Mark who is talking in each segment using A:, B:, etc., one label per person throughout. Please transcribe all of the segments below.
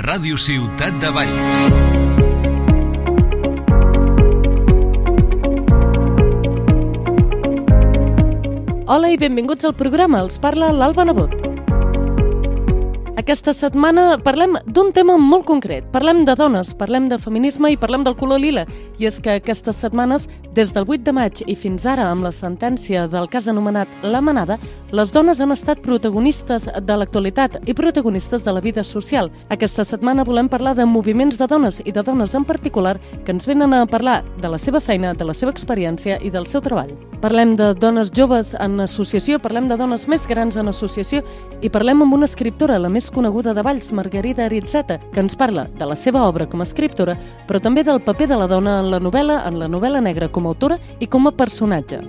A: Ràdio Ciutat de Valls.
B: Hola i benvinguts al programa. Els parla l'Alba Nebot. Aquesta setmana parlem d'un tema molt concret. Parlem de dones, parlem de feminisme i parlem del color lila. I és que aquestes setmanes, des del 8 de maig i fins ara, amb la sentència del cas anomenat La Manada, les dones han estat protagonistes de l'actualitat i protagonistes de la vida social. Aquesta setmana volem parlar de moviments de dones i de dones en particular que ens venen a parlar de la seva feina, de la seva experiència i del seu treball. Parlem de dones joves en associació, parlem de dones més grans en associació i parlem amb una escriptora, la més coneguda de Valls, Margarida Aritzeta, que ens parla de la seva obra com a escriptora, però també del paper de la dona en la novel·la negra com a autora i com a personatge.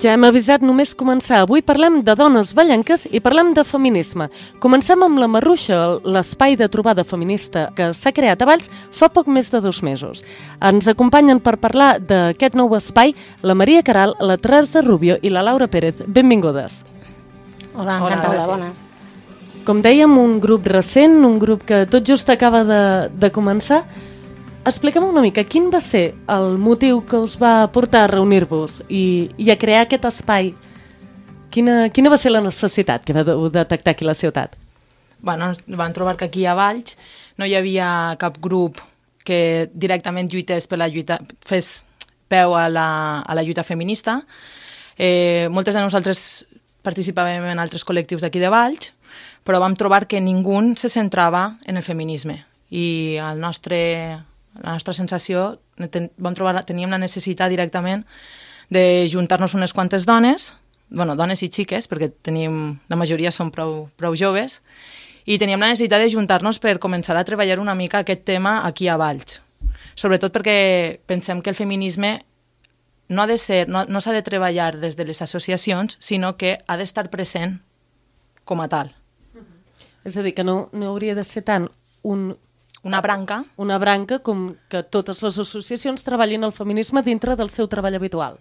B: Ja hem avisat només començar. Avui parlem de dones vallenques i parlem de feminisme. Comencem amb la Marruixa, l'espai de trobada feminista que s'ha creat a Valls fa poc més de 2 mesos. Ens acompanyen per parlar d'aquest nou espai la Maria Caral, la Teresa Rubio i la Laura Pérez. Benvingudes.
C: Hola, encantada, bones.
B: Com dèiem, un grup recent, un grup que tot just acaba de començar. Expliquem una mica, quin va ser el motiu que us va portar a reunir-vos i a crear aquest espai? Quina va ser la necessitat que vau detectar aquí a la ciutat?
C: Bueno, vam trobar que aquí a Valls no hi havia cap grup que directament lluités per la lluita, fes peu a la lluita feminista. Moltes de nosaltres participàvem en altres col·lectius d'aquí de Valls, però vam trobar que ningú se centrava en el feminisme i la nostra sensació, teníem la necessitat directament de juntar-nos unes quantes dones, dones i xiques, perquè la majoria són prou joves, i teníem la necessitat de juntar-nos per començar a treballar una mica aquest tema aquí a Valls. Sobretot perquè pensem que el feminisme no s'ha de treballar des de les associacions, sinó que ha d'estar present com a tal.
B: És a dir, que no hauria de ser tant una branca com que totes les associacions treballin el feminisme dintre del seu treball habitual.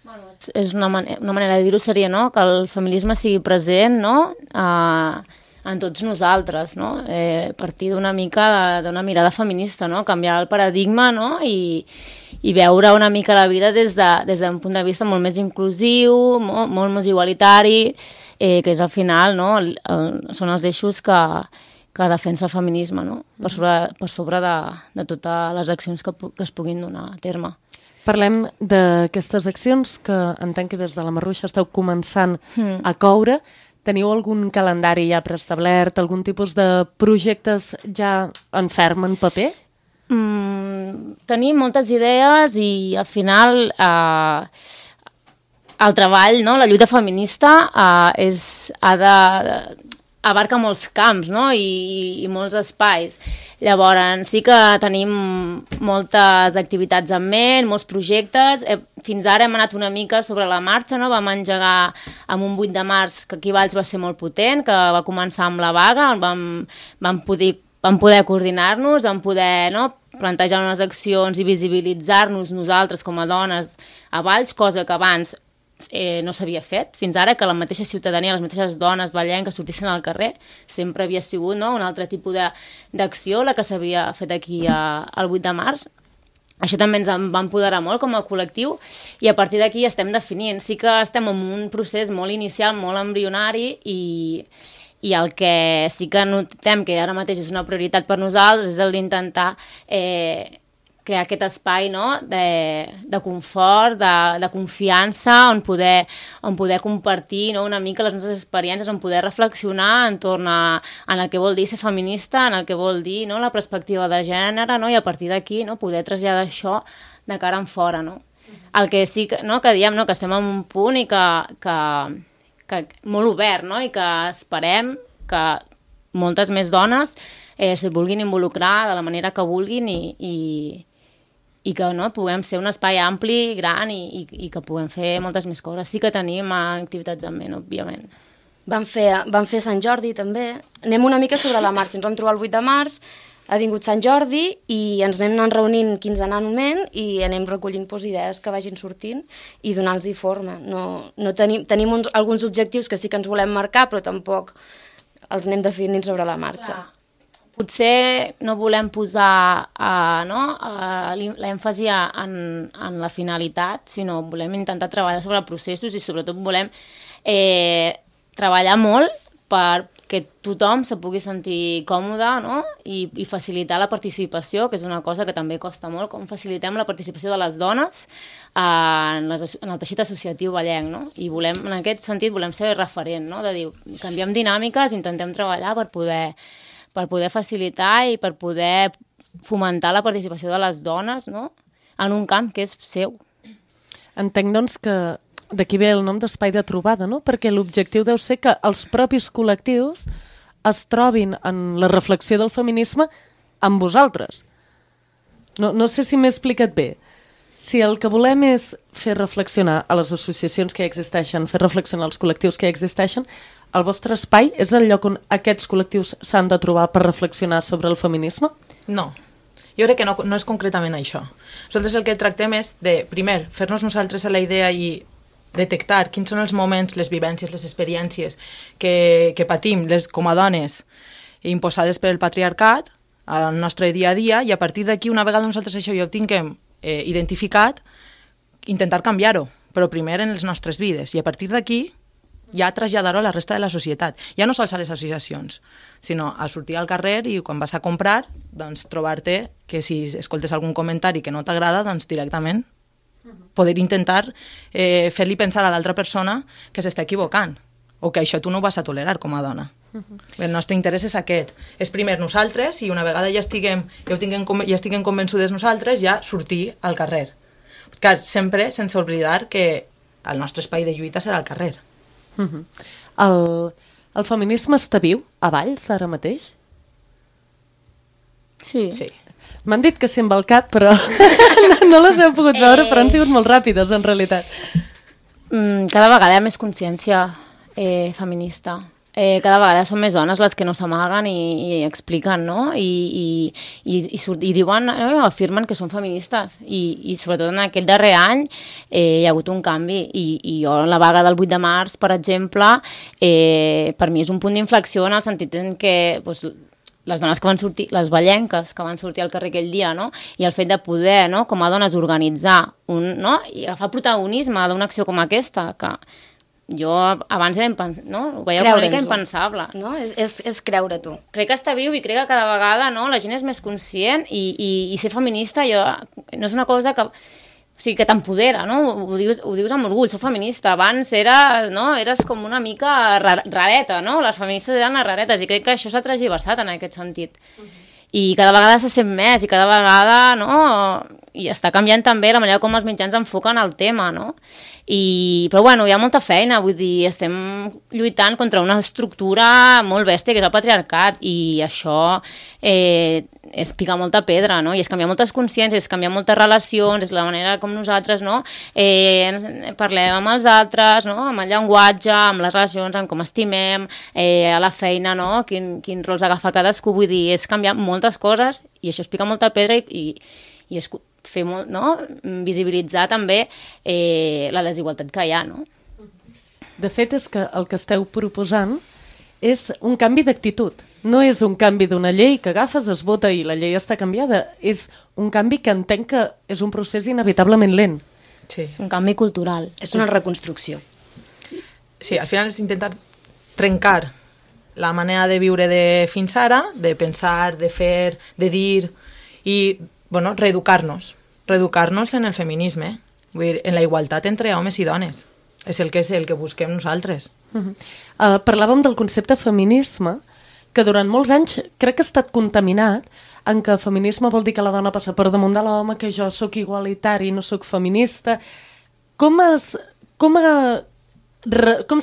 D: Bueno, és una manera de dir-ho seria, no?, que el feminisme sigui present, no?, en tots nosaltres, no?, partir d'una mica d'una mirada feminista, no?, canviar el paradigma, no?, i veure una mica la vida des d'un punt de vista molt més inclusiu, molt més igualitari, que és al final, no?, són els eixos que defensa el feminisme, no?, per sobre de totes les accions que es puguin donar a terme.
B: Parlem d'aquestes accions que entenc que des de la Marruixa esteu començant a coure. Teniu algun calendari ja preestablert, algun tipus de projectes ja en ferm, en paper?
D: Tenim moltes idees i al final el treball, no?, la lluita feminista abarca molts camps, no?, i molts espais. Llavors, sí que tenim moltes activitats en ment, molts projectes. Fins ara hem anat una mica sobre la marxa, no?, vam engegar amb un 8 de març, que aquí a Valls va ser molt potent, que va començar amb la vaga, on vam poder coordinar-nos, vam poder, no?, plantejar unes accions i visibilitzar-nos nosaltres com a dones a Valls, cosa que abans no s'havia fet. Fins ara que la mateixa ciutadania, les mateixes dones vallenques sortissin al carrer, sempre havia sigut, no?, un altre tipus d'acció la que s'havia fet aquí el 8 de març. Això també ens va empoderar molt com a col·lectiu i a partir d'aquí estem definint. Sí que estem en un procés molt inicial, molt embrionari i el que sí que notem que ara mateix és una prioritat per nosaltres és el d'intentar crear aquest espai, no?, de confort, de confiança, on poder compartir, no?, una mica les nostres experiències, on poder reflexionar entorn en el que vol dir ser feminista, en el que vol dir, no?, la perspectiva de gènere, no?, i a partir d'aquí, no?, poder traslladar això de cara en fora, no? El que sí que, no?, que diem, no?, que estem en un punt i que molt obert, no?, i que esperem que moltes més dones se vulguin involucrar de la manera que vulguin i que, no, puguem ser un espai ampli, gran i que puguem fer moltes més coses. Sí que tenim activitats en ment, òbviament.
E: Vam fer Sant Jordi també. Anem una mica sobre la marxa. Ens vam trobar el 8 de març, ha vingut Sant Jordi i ens anem anant reunint quinzenalment i anem recollint idees que vagin sortint i donar-los forma. No tenim alguns objectius que sí que ens volem marcar, però tampoc els anem definint sobre la marxa.
D: Clar. Potser no volem posar l'èmfasi en la finalitat, sinó volem intentar treballar sobre processos i sobretot volem treballar molt perquè tothom se pugui sentir còmode, no? I facilitar la participació, que és una cosa que també costa molt, com facilitem la participació de les dones en el teixit associatiu vallenc, no? I en aquest sentit volem ser referent, no? De dir, canviem dinàmiques, intentem treballar per poder facilitar i per poder fomentar la participació de les dones, no? En un camp que és seu.
B: Entenc, doncs, que d'aquí ve el nom d'espai de trobada, no? Perquè l'objectiu deu ser que els propis col·lectius es trobin en la reflexió del feminisme amb vosaltres. No sé si m'he explicat bé. Si el que volem és fer reflexionar a les associacions que ja existeixen, fer reflexionar els col·lectius que ja existeixen, el vostre espai és el lloc on aquests col·lectius s'han de trobar per reflexionar sobre el feminisme?
C: No. Jo crec que no és concretament això. Nosaltres el que tractem és de, primer, fer-nos nosaltres a la idea i detectar quins són els moments, les vivències, les experiències que patim com a dones imposades per el patriarcat al nostre dia a dia, i a partir d'aquí, una vegada nosaltres això ja ho tinguem identificat, intentar canviar-ho, però primer en les nostres vides, i a partir d'aquí ja traslladar-ho a la resta de la societat. Ja no sols a les associacions, sinó a sortir al carrer i quan vas a comprar, doncs trobar-te que si escoltes algun comentari que no t'agrada, doncs directament poder intentar fer-li pensar a l'altra persona que s'està equivocant o que això tu no ho vas a tolerar com a dona. El nostre interès és aquest. És primer nosaltres i una vegada ja estiguem convençudes nosaltres, ja sortir al carrer. Clar, sempre sense oblidar que el nostre espai de lluita serà al carrer.
B: El feminisme està viu a Valls ara mateix?
D: Sí.
B: M'han dit que sí amb el cap, però no les heu pogut veure, però han sigut molt ràpides, en realitat.
D: Cada vegada hi ha més consciència feminista. Cada vegada són més dones les que no s'amaguen i expliquen, no? I diuen, afirmen que són feministes. I sobretot en aquell darrer any hi ha hagut un canvi. I jo, la vaga del 8 de març, per exemple, per mi és un punt d'inflexió en el sentit en què les dones que van sortir, les vallenques que van sortir al carrer aquell dia, no? I el fet de poder, no, com a dones, organitzar i agafar protagonisme d'una acció com aquesta, que jo abans era ho veia una mica impensable.
E: No? És creure tu.
D: Crec que està viu i crec que cada vegada la gent és més conscient i ser feminista no és una cosa que t'empodera, no? Ho dius amb orgull, soc feminista. Abans eres com una mica rareta, no? Les feministes eren les raretes i crec que això s'ha transversat en aquest sentit. I cada vegada se sent més i cada vegada, i està canviant també la manera com els mitjans enfoquen el tema, no? Però bueno, hi ha molta feina, vull dir, estem lluitant contra una estructura molt bèstia que és el patriarcat i això és picar molta pedra, no? I és canviar moltes consciències, és canviar moltes relacions, és la manera com nosaltres parlem amb els altres, amb el llenguatge, amb les relacions, amb com estimem, a la feina, quin rols agafa cadascú, vull dir, és canviar moltes coses i això és picar molta pedra i és fer molt, visibilitzar també la desigualtat que hi ha, no?
B: De fet, és que el que esteu proposant és un canvi d'actitud. No és un canvi d'una llei que agafes, es vota i la llei està canviada. És un canvi que entenc que és un procés inevitablement lent.
C: Sí.
D: És un canvi cultural.
E: És una reconstrucció.
C: Sí, al final és intentar trencar la manera de viure de fins ara, de pensar, de fer, de dir i reeducar-nos en el feminisme, vull dir, en la igualtat entre homes i dones. És el que busquem nosaltres.
B: Parlàvem del concepte feminisme, que durant molts anys crec que ha estat contaminat en què feminisme vol dir que la dona passa per damunt de l'home, que jo sóc igualitari, no sóc feminista. Com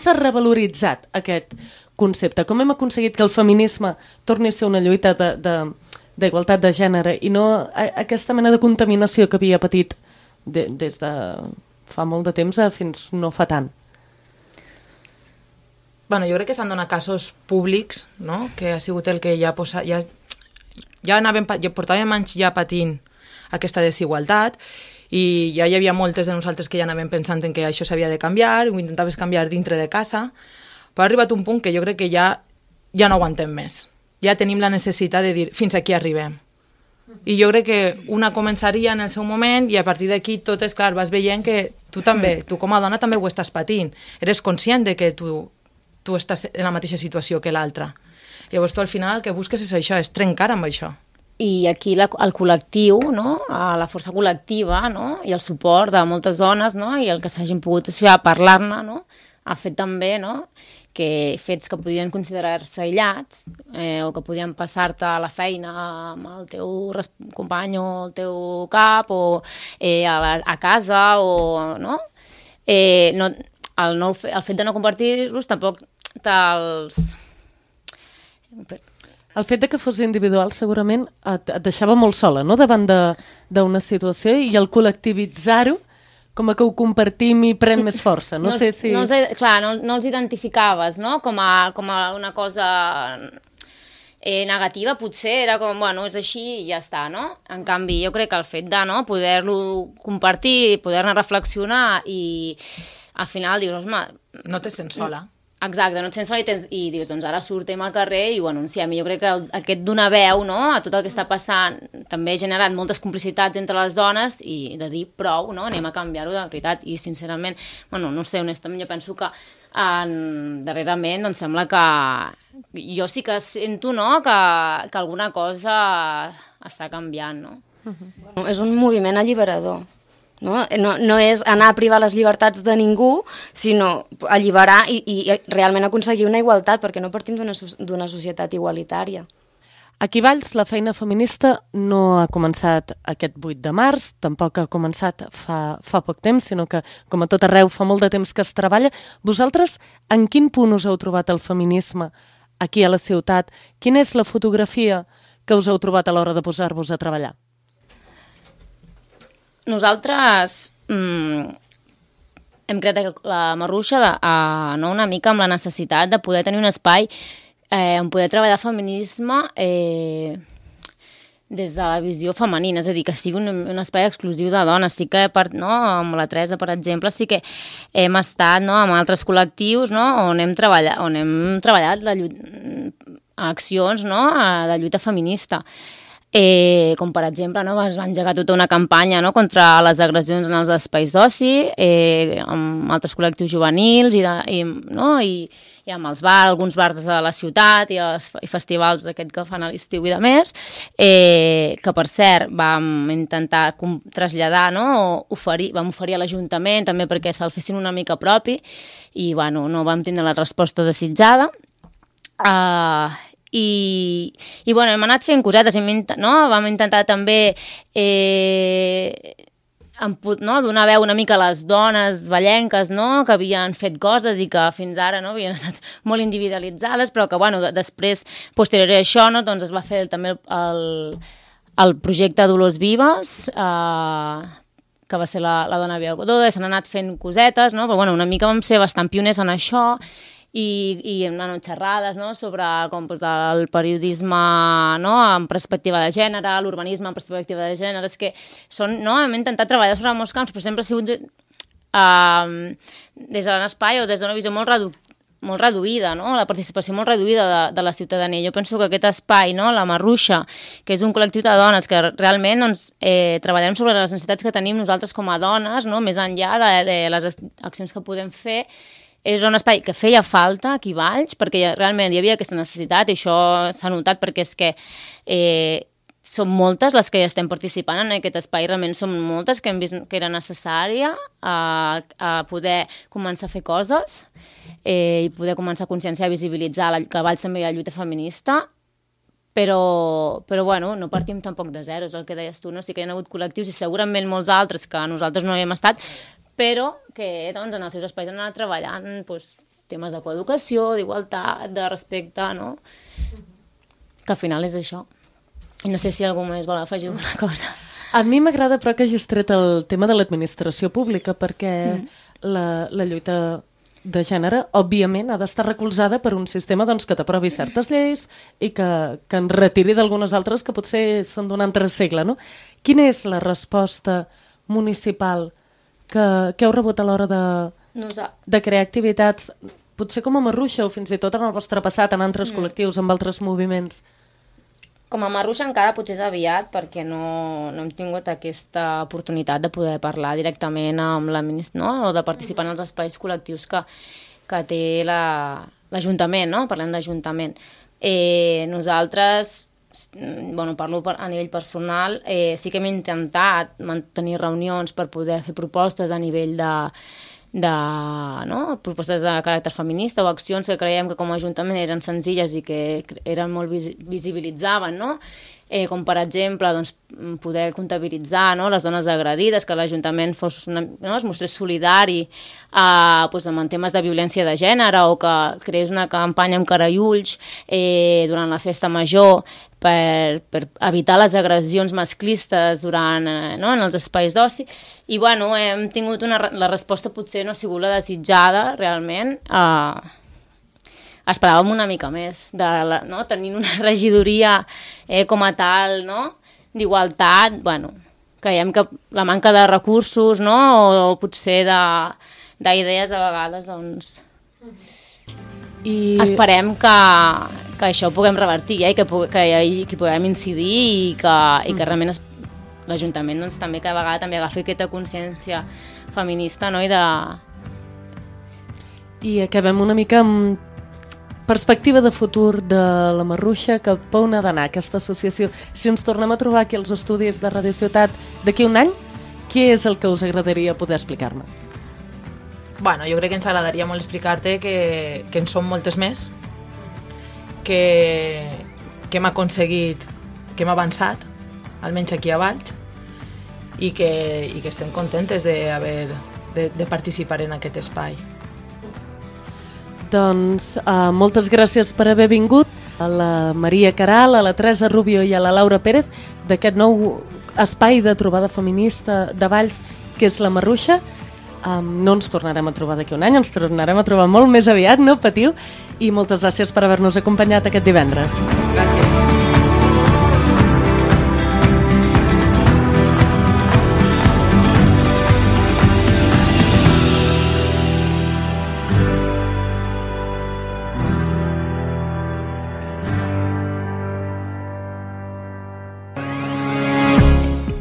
B: s'ha revaloritzat aquest concepte? Com hem aconseguit que el feminisme torni a ser una lluita d'igualtat de gènere i no aquesta mena de contaminació que havia patit des de fa molt de temps fins no fa tant?
C: Jo crec que s'han donat casos públics, que ha sigut el que ja portàvem anys ja patint aquesta desigualtat i ja hi havia moltes de nosaltres que ja anàvem pensant en que això s'havia de canviar, ho intentaves canviar dintre de casa, però ha arribat un punt que jo crec que ja no aguantem més. Ja tenim la necessitat de dir fins aquí arribem. I jo crec que una començaria en el seu moment i a partir d'aquí tot és clar, vas veient que tu també, tu com a dona també ho estàs patint. Eres conscient de que tu estàs en la mateixa situació que l'altra. Llavors tu al final el que busques és això, és trencar amb això.
D: I aquí el col·lectiu, no? La força col·lectiva, no? I el suport de moltes dones, no? I el que s'hagin pogut associar a parlar-ne, no? Ha fet també, no? Que fets que podien considerar-se aïllats o que podien passar-te a la feina amb el teu company o el teu cap o a casa o no? El fet de no compartir-los tampoc te'ls...
B: El fet de que fos individual segurament et deixava molt sola, no?, davant d'una situació, i el col·lectivitzar-ho com que ho compartim i pren més força. No sé si...
D: Clar, no els identificaves, no?, com a una cosa negativa, potser era com, bueno, és així i ja està, no? En canvi, jo crec que el fet de poder-lo compartir, poder-ne reflexionar i al final dius, osma...
C: No te sents sola.
D: Exacte, no et sents sola i dius, doncs ara sortim al carrer i ho anunciem. I jo crec que aquest donar veu, no?, a tot el que està passant també ha generat moltes complicitats entre les dones i de dir prou, no?, anem a canviar-ho de veritat. I sincerament, bueno, no sé, honestament jo penso que darrerament doncs sembla que jo sí que sento, no?, que alguna cosa està canviant, no?
E: Bueno, és un moviment alliberador. No és anar a privar les llibertats de ningú, sinó alliberar i realment aconseguir una igualtat, perquè no partim d'una societat igualitària.
B: Aquí a Valls la feina feminista no ha començat aquest 8 de març, tampoc ha començat fa poc temps, sinó que, com a tot arreu, fa molt de temps que es treballa. Vosaltres, en quin punt us heu trobat el feminisme aquí a la ciutat? Quina és la fotografia que us heu trobat a l'hora de posar-vos a treballar?
D: Nosaltres hem creat la Marruixa una mica amb la necessitat de poder tenir un espai on poder treballar feminisme des de la visió femenina, és a dir, que sigui un espai exclusiu de dones. Sí que amb la Teresa, per exemple, sí que hem estat amb altres col·lectius on hem treballat accions de lluita feminista. Com per exemple es va engegar tota una campanya contra les agressions en els espais d'oci, amb altres col·lectius juvenils i amb alguns bars de la ciutat i festivals aquest que fan a l'estiu i de més, que per cert vam intentar traslladar, vam oferir a l'Ajuntament també perquè se'l fessin una mica propi i no vam tindre la resposta desitjada. I hem anat fent cosetes, vam intentar també donar veu una mica a les dones vallenques que havien fet coses i que fins ara havien estat molt individualitzades, però que després, posterior a això, es va fer també el projecte Dolors Vives, que va ser la dona Biagodó, s'han anat fent cosetes, però una mica vam ser bastant pioners en això, i hem anat xerrades sobre com el periodisme en perspectiva de gènere, l'urbanisme en perspectiva de gènere, és que hem intentat treballar sobre molts camps, però sempre ha sigut des d'un espai o des d'una visió molt reduïda, la participació molt reduïda de la ciutadania. Jo penso que aquest espai, la Marruixa, que és un col·lectiu de dones que realment treballem sobre les necessitats que tenim nosaltres com a dones, més enllà de les accions que podem fer, és un espai que feia falta aquí a Valls, perquè realment hi havia aquesta necessitat, i això s'ha notat perquè és que som moltes les que ja estem participant en aquest espai, realment som moltes que hem vist que era necessària a poder començar a fer coses i poder començar a conscienciar i visibilitzar que a Valls també hi ha lluita feminista, però no partim tampoc de zero, és el que deies tu, sí que hi ha hagut col·lectius i segurament molts altres que nosaltres no hi hem estat, però que en els seus espais han anat treballant temes de coeducació, d'igualtat, de respecte, que al final és això. I no sé si algú més vol afegir alguna cosa.
B: A mi m'agrada però que hagis tret el tema de l'administració pública, perquè la lluita de gènere, òbviament, ha d'estar recolzada per un sistema doncs, que t'aprovi certes lleis i que en retiri d'algunes altres que potser són d'un altre segle, no? Quina és la resposta municipal que heu rebut a l'hora de crear activitats, potser com a Marruixa o fins i tot en el vostre passat, en altres col·lectius, amb altres moviments?
D: Com a Marruixa encara potser és aviat perquè no hem tingut aquesta oportunitat de poder parlar directament amb la ministra, no? O de participar en els espais col·lectius que té l'Ajuntament, no? Parlem d'Ajuntament. Nosaltres, parlo a nivell personal, sí que hem intentat mantenir reunions per poder fer propostes a nivell propostes de caràcter feminista o accions que creiem que com a Ajuntament eren senzilles i que eren molt visibilitzaven, no? Com per exemple poder comptabilitzar les dones agredides, que l'Ajuntament es mostrés solidari en temes de violència de gènere o que creés una campanya amb cara i ulls durant la festa major per evitar les agressions masclistes en els espais d'oci. I hem tingut la resposta potser no ha sigut la desitjada realment. Esperàvem una mica més, tenint una regidoria com a tal, d'igualtat, creiem que la manca de recursos o potser d'idees a vegades, esperem que això ho puguem revertir i que hi puguem incidir i que realment l'Ajuntament també cada vegada també agafi aquesta consciència feminista
B: I acabem una mica amb perspectiva de futur de la Marruixa, cap a on ha d'anar aquesta associació. Si ens tornem a trobar aquí als estudis de Radio Ciutat d'aquí un any, què és el que us agradaria poder explicar-me?
C: Jo crec que ens agradaria molt explicar-te que en som moltes més, que hem aconseguit, que hem avançat, almenys aquí a Valls, i que estem contentes de participar en aquest espai.
B: Doncs moltes gràcies per haver vingut a la Maria Caral, a la Teresa Rubio i a la Laura Pérez d'aquest nou espai de trobada feminista de Valls que és la Marruixa. No ens tornarem a trobar d'aquí un any, ens tornarem a trobar molt més aviat, no patiu, i moltes gràcies per haver-nos acompanyat aquest divendres.
C: Gràcies.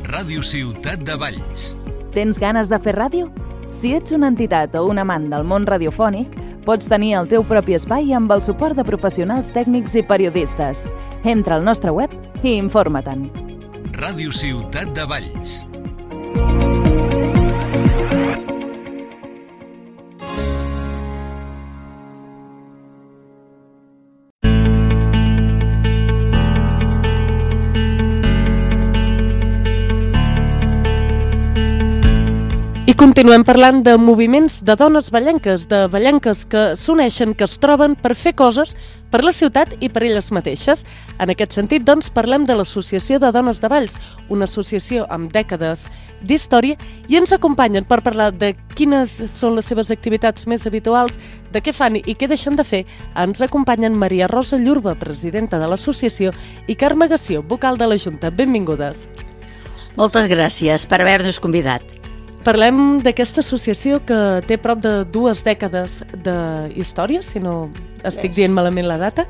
A: Ràdio Ciutat de Valls.
F: Tens ganes de fer ràdio? Si ets una entitat o un amant del món radiofònic, pots tenir el teu propi espai amb el suport de professionals tècnics i periodistes. Entra al nostre web i informa-te'n.
A: Ràdio Ciutat de Valls.
B: I continuem parlant de moviments de dones vallenques, de vallenques que s'uneixen, que es troben per fer coses per la ciutat i per elles mateixes. En aquest sentit, doncs, parlem de l'Associació de Dones de Valls, una associació amb dècades d'història, i ens acompanyen per parlar de quines són les seves activitats més habituals, de què fan i què deixen de fer. Ens acompanyen Maria Rosa Llurba, presidenta de l'associació, i Carme Gassió, vocal de la Junta. Benvingudes.
G: Moltes gràcies per haver-nos convidat.
B: Parlem d'aquesta associació que té prop de 2 dècades d'història, si no estic dient malament la data,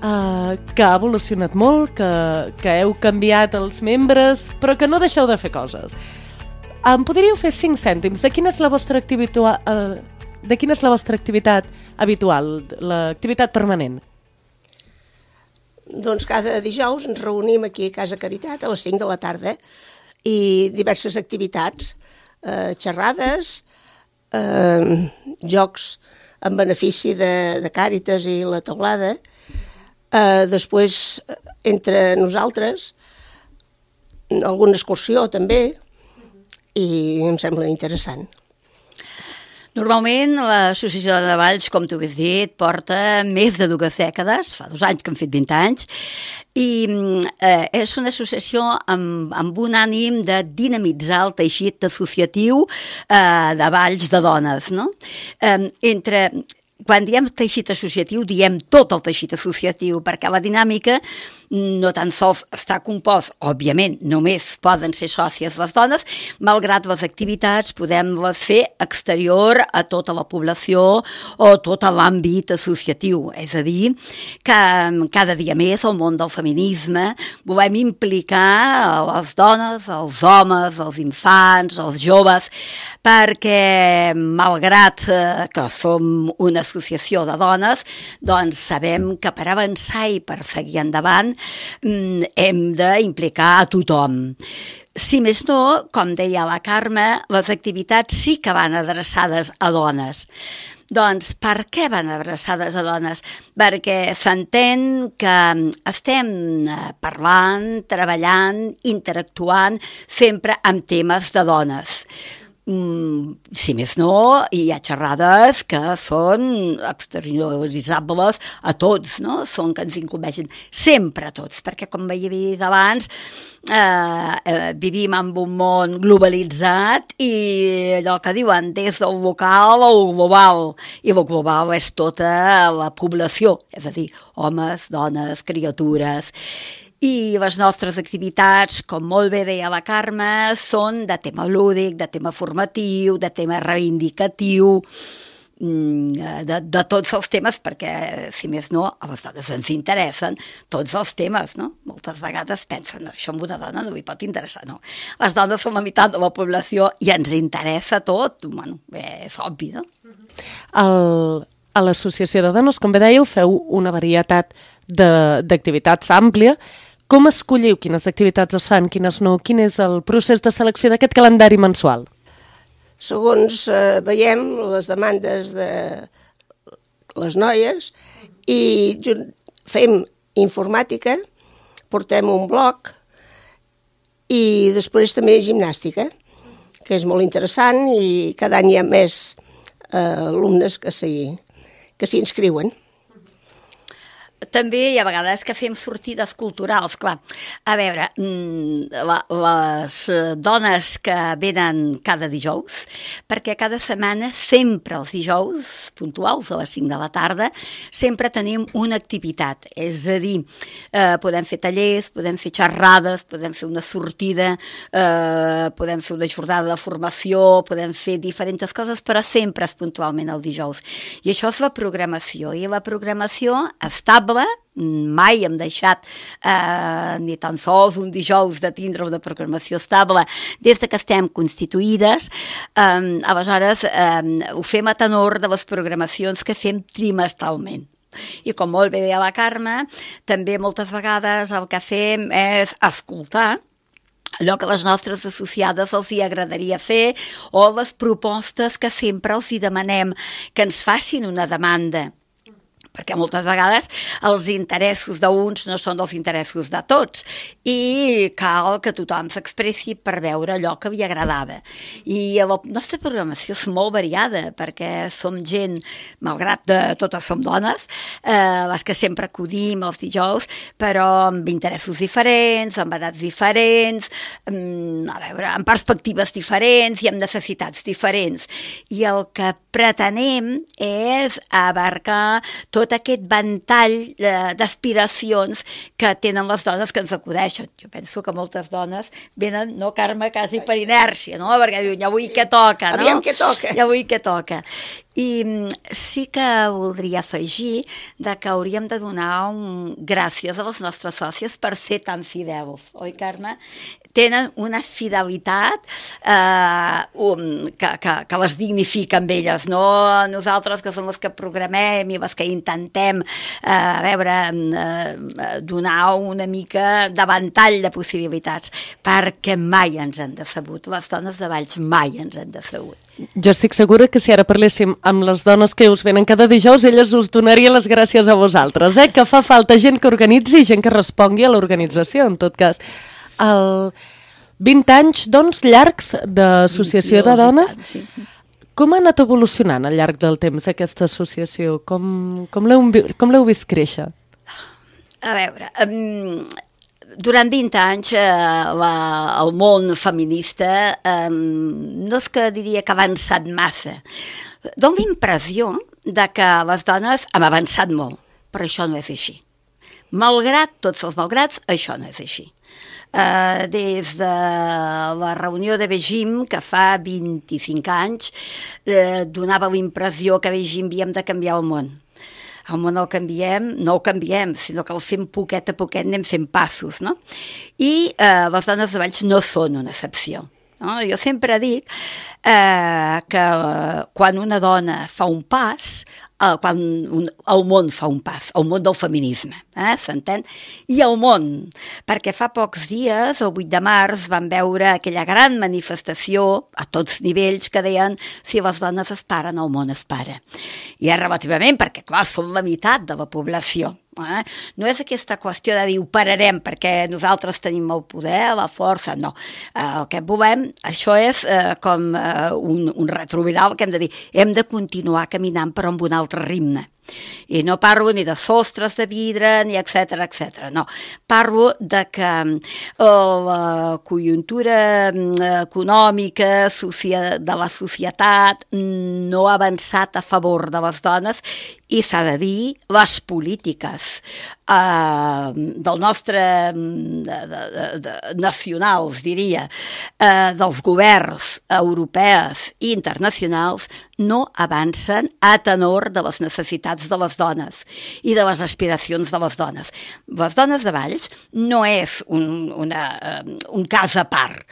B: que ha evolucionat molt, que heu canviat els membres, però que no deixeu de fer coses. Em podríeu fer 5 cèntims de quina és la vostra activitat habitual, l'activitat permanent?
H: Doncs cada dijous ens reunim aquí a Casa Caritat a les 5 de la tarda i diverses activitats, xerrades, jocs en benefici de Càritas i la Teulada. Després, entre nosaltres, alguna excursió també, i em sembla interessant.
G: Normalment l'Associació de Valls, com tu has dit, porta més de 2 dècades, fa 2 anys que han fet 20 anys, i és una associació amb un ànim de dinamitzar el teixit associatiu de Valls de dones, no? Quan diem teixit associatiu, diem tot el teixit associatiu, perquè la dinàmica no tan sols està compost, òbviament, només poden ser sòcies les dones, malgrat les activitats podem les fer exterior a tota la població o tot l'àmbit associatiu. És a dir, que cada dia més el món del feminisme volem implicar les dones, els homes, els infants, els joves, perquè malgrat que som una associació de dones, doncs sabem que per avançar i per seguir endavant hem d'implicar a tothom. Si més no, com deia la Carme, les activitats sí que van adreçades a dones. Doncs per què van adreçades a dones? Perquè s'entén que estem parlant, treballant, interactuant sempre amb temes de dones. Si més no, hi ha xerrades que són exterioritzables a tots, no? Són que ens incumbeixen sempre a tots, perquè com havia dit abans, vivim en un món globalitzat i allò que diuen des del local al global, i el global és tota la població, és a dir, homes, dones, criatures. I les nostres activitats, com molt bé deia la Carme, són de tema lúdic, de tema formatiu, de tema reivindicatiu, de tots els temes, perquè, si més no, a les dones ens interessen tots els temes, no? Moltes vegades pensen, no, això amb una dona no li pot interessar, no. Les dones són la meitat de la població i ens interessa tot, bueno, és obvi, no?
B: A l'Associació de Dones, com bé dèieu, feu una varietat d'activitats àmplia. Com escolliu quines activitats es fan, quines no? Quin és el procés de selecció d'aquest calendari mensual?
H: Segons veiem les demandes de les noies i fem informàtica, portem un blog i després també gimnàstica, que és molt interessant i cada any hi ha més alumnes que s'hi inscriuen.
G: També hi ha vegades que fem sortides culturals, clar. A veure, les dones que venen cada dijous, perquè cada setmana, sempre els dijous, puntuals a les 5 de la tarda, sempre tenim una activitat. És a dir, podem fer tallers, podem fer xerrades, podem fer una sortida, podem fer una jornada de formació, podem fer diferents coses, però sempre és puntualment el dijous. I això és la programació, i la programació estable, mai hem deixat ni tan sols un dijous de tindre una programació estable des que estem constituïdes. Aleshores ho fem a tenor de les programacions que fem trimestralment. I com molt bé deia la Carme, també moltes vegades el que fem és escoltar allò que les nostres associades els hi agradaria fer o les propostes que sempre els hi demanem, que ens facin una demanda, perquè moltes vegades els interessos d'uns no són els interessos de tots i cal que tothom s'expressi per veure allò que li agradava. I la nostra programació és molt variada perquè som gent, malgrat totes som dones, les que sempre acudim els dijous, però amb interessos diferents, amb edats diferents, amb perspectives diferents i amb necessitats diferents. I el que pretenem és abarcar tot aquest ventall d'aspiracions que tenen les dones que ens acudeixen. Jo penso que moltes dones venen, no, Carme, quasi per inèrcia, no? Perquè diuen, ja avui què toca, no?
H: Aviam què toca.
G: Ja avui què toca. I sí que voldria afegir que hauríem de donar gràcies a les nostres sòcies per ser tan fidels, oi, Carme? Tenen una fidelitat que les dignifica amb elles, no? Nosaltres, que som les que programem i les que intentem donar una mica de ventall de possibilitats, perquè mai ens han decebut. Les dones de Valls mai ens han decebut.
B: Jo estic segura que si ara parléssim amb les dones que us venen cada dijous, elles us donarien les gràcies a vosaltres, que fa falta gent que organitzi i gent que respongui a l'organització, en tot cas. 20 anys, doncs, llargs d'associació de dones.
G: Sí.
B: Com ha anat evolucionant al llarg del temps aquesta associació? Com l'heu vist créixer?
G: A veure, durant 20 anys el món feminista no és que diria que ha avançat massa. Dono la impressió de que les dones hem avançat molt, però això no és així. Malgrat tots els malgrats, això no és així. Des de la reunió de Beijing, que fa 25 anys, donava la impressió que a Beijing havíem de canviar el món. El món no el canviem, sinó que el fem poquet a poquet, anem fent passos, no? I les dones de Valls no són una excepció. No? Jo sempre dic que quan una dona fa un pas, quan el món fa un pas, el món del feminisme, s'entén? I el món, perquè fa pocs dies, el 8 de març, vam veure aquella gran manifestació a tots nivells que deien si les dones es paren, el món es para. I és relativament, perquè clar, som la meitat de la població. No és aquesta qüestió de dir ho pararem perquè nosaltres tenim el poder, la força, no. El que volem, això és com un retroviral que hem de dir, hem de continuar caminant però amb un altre ritme. I no parlo ni de sostres de vidre, ni etcètera, no. Parlo de que la conjuntura econòmica de la societat no ha avançat a favor de les dones i s'ha de dir les polítiques del nostre nacionals, diria, dels governs europeus i internacionals no avancen a tenor de les necessitats de les dones i de les aspiracions de les dones. Les dones de Valls no és un cas a part,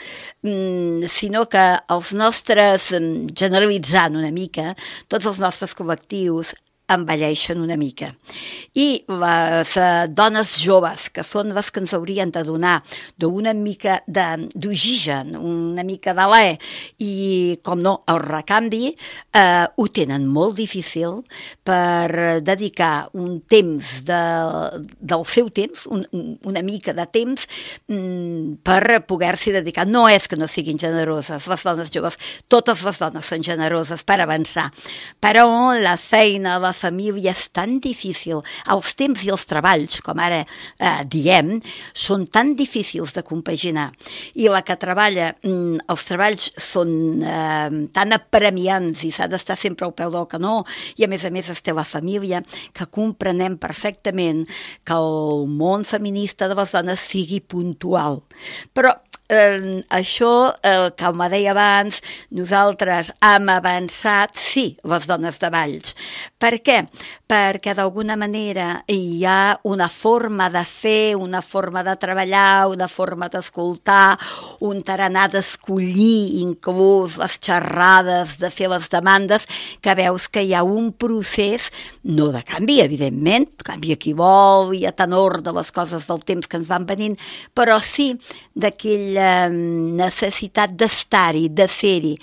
G: sinó que els nostres, generalitzant una mica, tots els nostres col·lectius envelleixen una mica. I les dones joves, que són les que ens haurien de donar d'una mica d'oxigen, una mica d'alè, i, com no, el recanvi, ho tenen molt difícil per dedicar un temps del seu temps, una mica de temps, per poder-s'hi dedicar. No és que no siguin generoses les dones joves, totes les dones són generoses per avançar, però la feina, la família és tan difícil, els temps i els treballs, com ara diem, són tan difícils de compaginar. I la que treballa, els treballs són tan apremiants i s'ha d'estar sempre al peu del canó, i a més es té la família, que comprenem perfectament que el món feminista de les dones sigui puntual. Però això, com deia abans, nosaltres hem avançat, sí, les dones de Valls. Per què? Perquè d'alguna manera hi ha una forma de fer, una forma de treballar, una forma d'escoltar, un tarannà d'escollir inclús les xerrades, de fer les demandes, que veus que hi ha un procés, no de canvi, evidentment, canvia qui vol i a tenor de les coses del temps que ens van venint, però sí d'aquella necessitat d'estar-hi, de ser-hi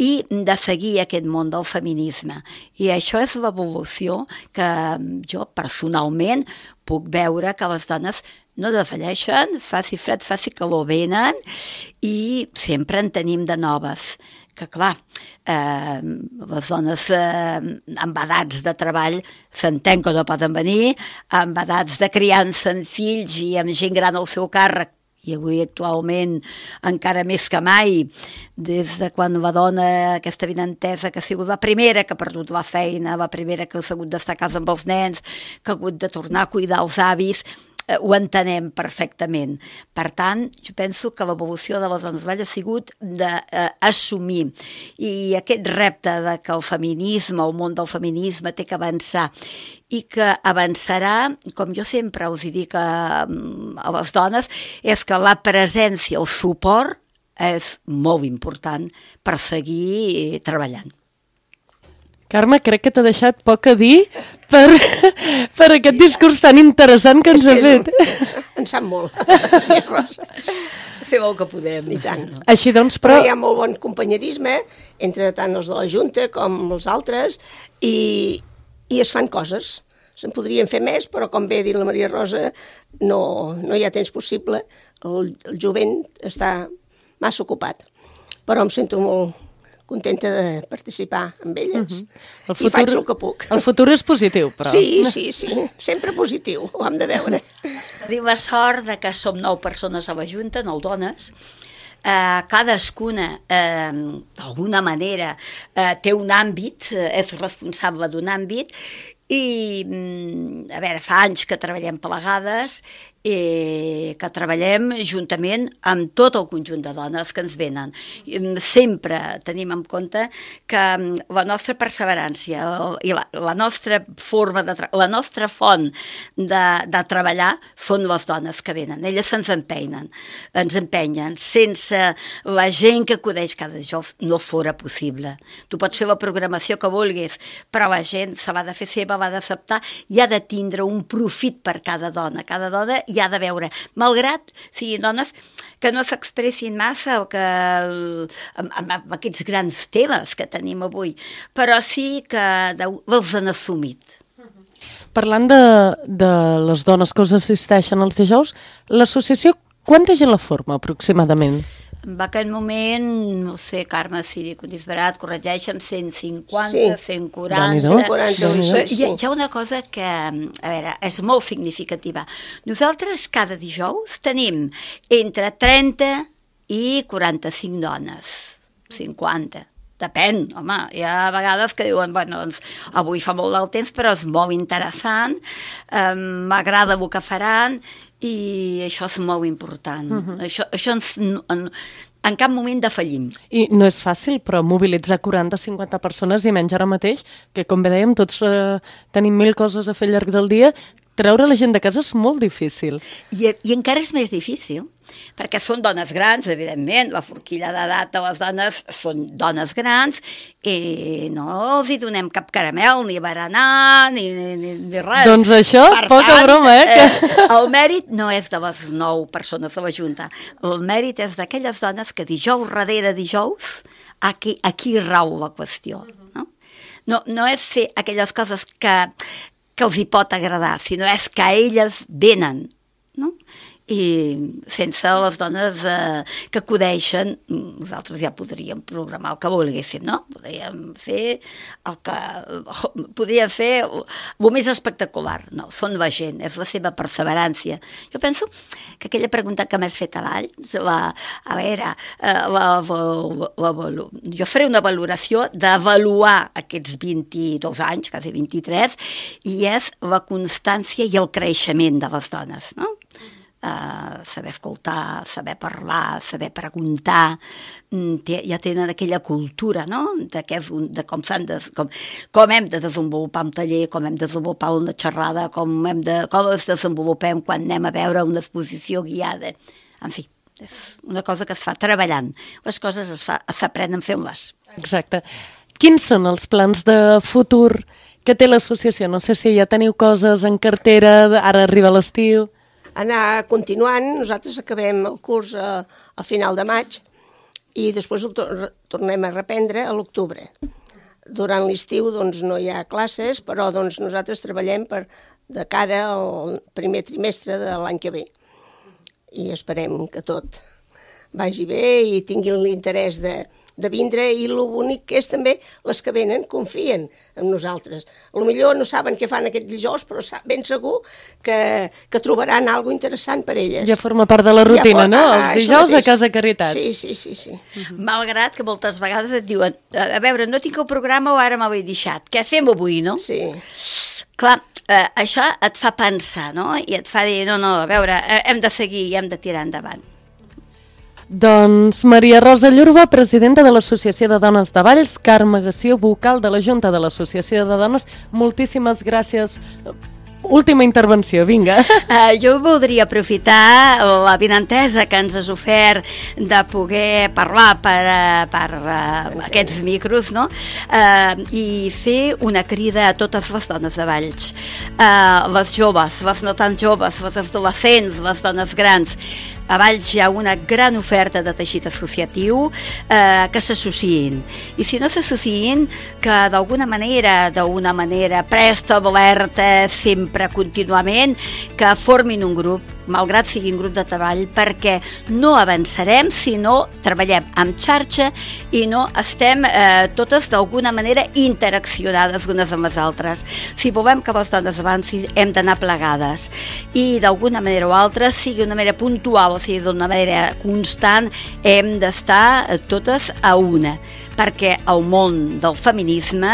G: i de seguir aquest món del feminisme. I això és l'evolució que jo personalment puc veure que les dones no defalleixen, faci fred, faci calor, venen i sempre en tenim de noves. Que clar, les dones amb edats de treball s'entén que no poden venir, amb edats de criança en fills i amb gent gran al seu càrrec, i avui actualment encara més que mai, des de quan la dona, aquesta avinentesa, que ha sigut la primera que ha perdut la feina, la primera que ha hagut d'estar a casa amb els nens, que ha hagut de tornar a cuidar els avis, ho entenem perfectament. Per tant, jo penso que l'evolució de les dones de Valls ha sigut d'assumir i aquest repte de que el feminisme, el món del feminisme té que avançar i que avançarà, com jo sempre us dic a les dones, és que la presència, el suport és molt important per seguir treballant.
B: Carme, crec que t'ha deixat poc a dir per aquest discurs tan interessant que ens ha fet.
H: En sap molt.
G: Fem el que podem.
H: I tant.
B: Així doncs, però...
H: Hi ha molt bon companyerisme entre tant els de la Junta com els altres i es fan coses. Se'n podrien fer més, però com bé ha dit la Maria Rosa, no hi ha temps possible. El jovent està massa ocupat. Però em sento molt contenta de participar amb elles.
B: I
H: faig el que puc.
B: El futur és positiu, però...
H: Sí, sempre positiu, ho hem de veure.
G: Tenim la sort de que som 9 persones a la Junta, 9 dones. Cadascuna, d'alguna manera, té un àmbit, és responsable d'un àmbit, i, a veure, fa anys que treballem plegades, que treballem juntament amb tot el conjunt de dones que ens venen. Sempre tenim en compte que la nostra perseverància i la nostra forma la nostra font de treballar són les dones que venen. Elles ens empenyen. Sense la gent que acudeix cada dijous no fora possible. Tu pots fer la programació que vulguis, però la gent se l'ha de fer seva, l'ha d'acceptar i ha de tindre un profit per cada dona. Cada dona hi ha de veure, malgrat siguin dones que no s'expressin massa o que amb aquests grans temes que tenim avui, però sí que els han assumit.
B: Parlant de les dones que us assisteixen els dijous, l'associació quanta gent la forma aproximadament?
G: En aquest moment, no sé, Carme, si dic un disbarat, corregeixen 150, 140... Hi ha una cosa que, a veure, és molt significativa. Nosaltres cada dijous tenim entre 30 i 45 dones, 50. Depèn, home, hi ha vegades que diuen, bueno, doncs, avui fa molt del temps, però és molt interessant, m'agrada el que faran, i això és molt important. Això en cap moment defallim.
B: I no és fàcil, però mobilitzar 40-50 persones i menys ara mateix, que com bé dèiem, tots tenim 1000 coses a fer al llarg del dia, treure la gent de casa és molt difícil.
G: I encara és més difícil, perquè són dones grans, evidentment, la forquilla d'edat de les dones són dones grans, i no els hi donem cap caramel, ni berenar, ni res.
B: Doncs això, poca broma,
G: El mèrit no és de les 9 persones de la Junta, el mèrit és d'aquelles dones que dijous darrere dijous, aquí rau la qüestió. No és fer aquelles coses que els hi pot agradar, sinó és que elles venen, no? I sense les dones que acudeixen, nosaltres ja podríem programar el que volguéssim, no? Podríem fer el més espectacular. No, són la gent, és la seva perseverància. Jo penso que aquella pregunta que m'has fet abans, jo faré una valoració d'avaluar aquests 22 anys, quasi 23, i és la constància i el creixement de les dones, no? Saber escoltar, saber parlar, saber preguntar, ja tenen aquella cultura, no?, de com hem de desenvolupar un taller, com hem de desenvolupar una xerrada, com es desenvolupem quan anem a veure una exposició guiada. En fi, és una cosa que es fa treballant. Les coses s'aprenen fent-les.
B: Exacte. Quins són els plans de futur que té l'associació? No sé si ja teniu coses en cartera, ara arriba l'estiu...
H: Anar continuant, nosaltres acabem el curs al final de maig i després el tornem a reprendre a l'octubre. Durant l'estiu doncs, no hi ha classes, però doncs, nosaltres treballem de cara al primer trimestre de l'any que ve. I esperem que tot vagi bé i tinguin l'interès de vindre, i el bonic que és també les que venen confien en nosaltres. Potser no saben què fan aquest dijous, però ben segur que trobaran alguna interessant per elles.
B: Ja forma part de la rutina, no? Els dijous a Casa Caritat.
H: Sí.
G: Malgrat que moltes vegades et diuen, a veure, no tinc el programa o ara m'ho he deixat, què fem avui, no?
H: Sí.
G: Clar, això et fa pensar, no? I et fa dir, no, a veure, hem de seguir i hem de tirar endavant.
B: Doncs Maria Rosa Llurba, presidenta de l'Associació de Dones de Valls, Carme Gació, vocal de la Junta de l'Associació de Dones, moltíssimes gràcies. Última intervenció, vinga.
G: Jo voldria aprofitar l'avinentesa que ens has ofert de poder parlar per aquests micros, no? I fer una crida a totes les dones de Valls, les joves, les no tan joves, les adolescents, les dones grans. A Valls hi ha una gran oferta de teixit associatiu, que s'associïn. I si no s'associïn, que d'alguna manera preestablerta, sempre contínuament, que formin un grup malgrat sigui un grup de treball, perquè no avançarem si no treballem en xarxa i no estem totes d'alguna manera interaccionades unes amb les altres. Si volem que les dones avancin, hem d'anar plegades i d'alguna manera o altra, sigui d'una manera puntual o sigui d'una manera constant, hem d'estar totes a una, perquè el món del feminisme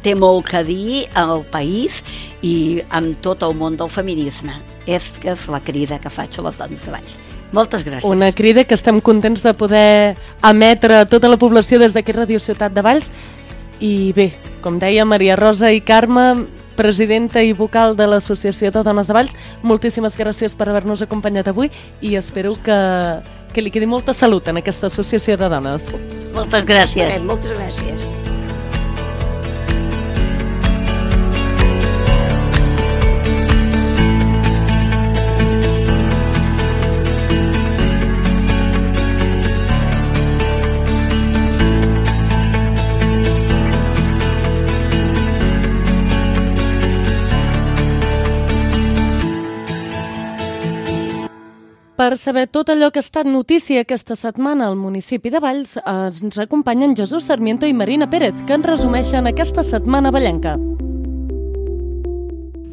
G: té molt que dir al país i amb tot el món del feminisme. És la crida que faig a les dones de Valls. Moltes gràcies.
B: Una crida que estem contents de poder emetre a tota la població des d'aquí Ràdio Ciutat de Valls. I bé, com deia Maria Rosa i Carme, presidenta i vocal de l'Associació de Dones de Valls, moltíssimes gràcies per haver-nos acompanyat avui i espero que li quedi molta salut en aquesta associació de dones.
G: Moltes gràcies.
H: Moltes gràcies.
B: Per saber tot allò que ha estat notícia aquesta setmana al municipi de Valls, ens acompanyen Jesús Sarmiento i Marina Pérez, que ens resumeixen aquesta setmana vallenca.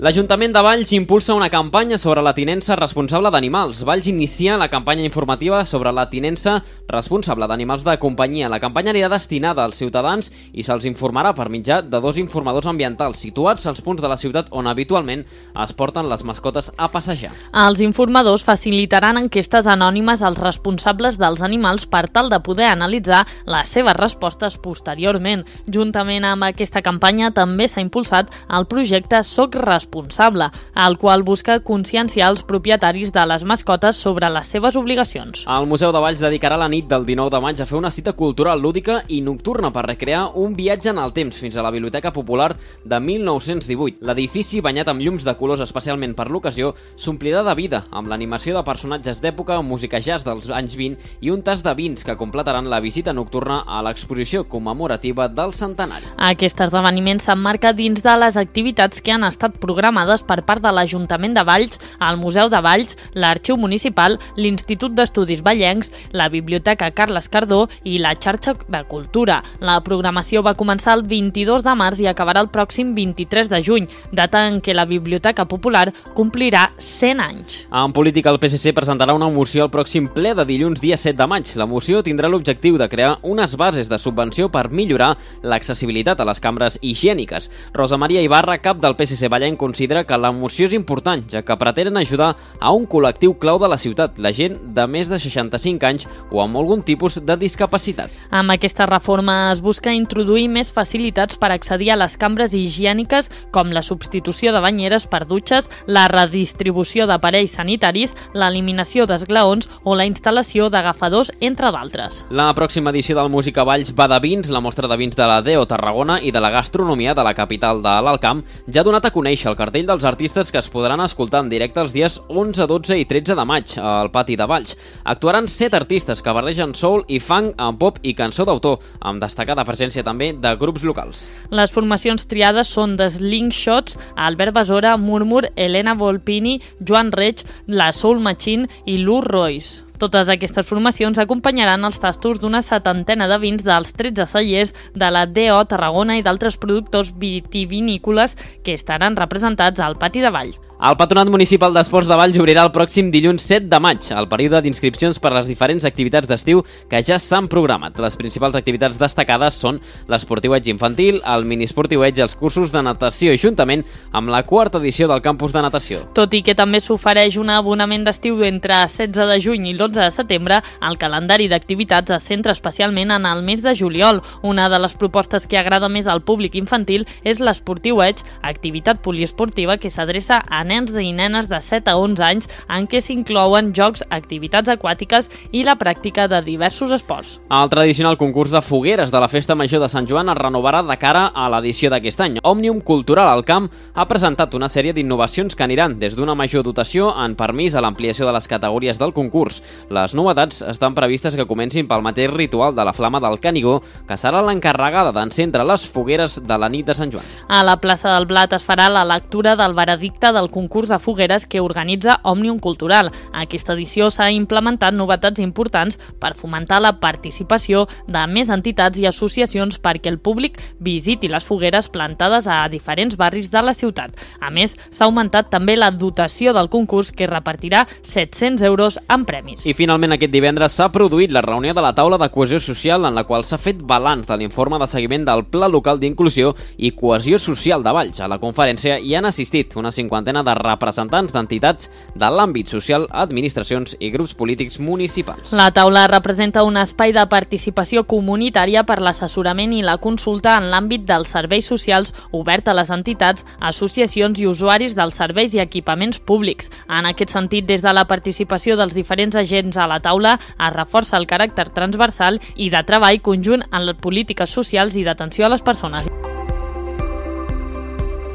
I: L'Ajuntament de Valls impulsa una campanya sobre la tinença responsable d'animals. Valls inicia la campanya informativa sobre la tinença responsable d'animals de companyia. La campanya anirà destinada als ciutadans i se'ls informarà per mitjà de 2 informadors ambientals situats als punts de la ciutat on habitualment es porten les mascotes a passejar.
J: Els informadors facilitaran enquestes anònimes als responsables dels animals per tal de poder analitzar les seves respostes posteriorment. Juntament amb aquesta campanya també s'ha impulsat el projecte Soc Responsable, el qual busca conscienciar els propietaris de les mascotes sobre les seves obligacions.
I: El Museu de Valls dedicarà la nit del 19 de maig a fer una cita cultural lúdica i nocturna per recrear un viatge en el temps fins a la Biblioteca Popular de 1918. L'edifici, banyat amb llums de colors especialment per l'ocasió, s'omplirà de vida amb l'animació de personatges d'època, música jazz dels anys 20 i un tas de vins que completaran la visita nocturna a l'exposició commemorativa del centenari.
J: Aquest esdeveniment s'emmarca dins de les activitats que han estat programades per part de l'Ajuntament de Valls, el Museu de Valls, l'Arxiu Municipal, l'Institut d'Estudis Vallencs, la Biblioteca Carles Cardó i la Xarxa de Cultura. La programació va començar el 22 de març i acabarà el pròxim 23 de juny, data en què la Biblioteca Popular complirà 100 anys.
I: En política, el PSC presentarà una moció al pròxim ple de dilluns dia 7 de maig. La moció tindrà l'objectiu de crear unes bases de subvenció per millorar l'accessibilitat a les cambres higièniques. Rosa Maria Ibarra, cap del PSC Vallenc, considera que la moció és important, ja que pretenen ajudar a un col·lectiu clau de la ciutat, la gent de més de 65 anys o amb algun tipus de discapacitat.
J: Amb aquesta reforma es busca introduir més facilitats per accedir a les cambres higièniques, com la substitució de banyeres per dutxes, la redistribució d'aparells sanitaris, l'eliminació d'esglaons o la instal·lació d'agafadors, entre d'altres.
I: La pròxima edició del Música Valls va de vins, la mostra de vins de la DEO Tarragona i de la gastronomia de la capital de l'Alt Camp ja ha donat a conèixer el cartell dels artistes que es podran escoltar en directe els dies 11, 12 i 13 de maig al Pati de Valls. Actuaran 7 artistes que barregen soul i funk amb pop i cançó d'autor, amb destacada presència també de grups locals.
J: Les formacions triades són The Slingshots, Albert Besora, Murmur, Elena Volpini, Joan Reig, la Soul Machine i Lou Royce. Totes aquestes formacions acompanyaran els tastos d'una 70ena de vins dels 13 cellers de la DO Tarragona i d'altres productors vitivinícoles que estaran representats al Pati de Valls.
I: El Patronat Municipal d'Esports de Valls obrirà el pròxim dilluns 7 de maig, el període d'inscripcions per a les diferents activitats d'estiu que ja s'han programat. Les principals activitats destacades són l'esportiueig infantil, el miniesportiueig i els cursos de natació, juntament amb la 4ª edició del campus de natació.
J: Tot i que també s'ofereix un abonament d'estiu entre 16 de juny i l'11 de setembre, el calendari d'activitats es centra especialment en el mes de juliol. Una de les propostes que agrada més al públic infantil és l'esportiueig, activitat poliesportiva que s'adreça a nens i nenes de 7 a 11 anys en què s'inclouen jocs, activitats aquàtiques i la pràctica de diversos esports.
I: El tradicional concurs de fogueres de la Festa Major de Sant Joan es renovarà de cara a l'edició d'aquest any. Òmnium Cultural al Camp ha presentat una sèrie d'innovacions que aniran des d'una major dotació en permís a l'ampliació de les categories del concurs. Les novetats estan previstes que comencin pel mateix ritual de la Flama del Canigó, que serà l'encarregada d'encendre les fogueres de la nit de Sant Joan.
J: A la plaça del Blat es farà la lectura del veredicte del concurs de fogueres que organitza Òmnium Cultural. A aquesta edició s'ha implementat novetats importants per fomentar la participació de més entitats i associacions perquè el públic visiti les fogueres plantades a diferents barris de la ciutat. A més, s'ha augmentat també la dotació del concurs, que repartirà 700 euros en premis.
I: I finalment aquest divendres s'ha produït la reunió de la taula de cohesió social, en la qual s'ha fet balanç de l'informe de seguiment del Pla Local d'Inclusió i Cohesió Social de Valls. A la conferència hi han assistit una 50 de representants d'entitats de l'àmbit social, administracions i grups polítics municipals.
J: La taula representa un espai de participació comunitària per l'assessorament i la consulta en l'àmbit dels serveis socials, obert a les entitats, associacions i usuaris dels serveis i equipaments públics. En aquest sentit, des de la participació dels diferents agents a la taula, es reforça el caràcter transversal i de treball conjunt en les polítiques socials i d'atenció a les persones.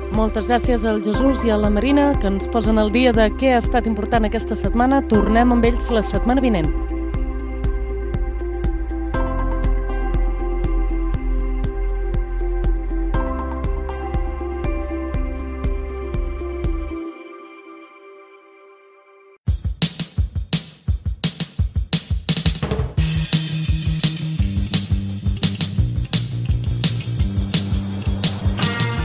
B: Moltes gràcies al Jesús i a la Marina, que ens posen al dia de què ha estat important aquesta setmana. Tornem amb ells la setmana vinent.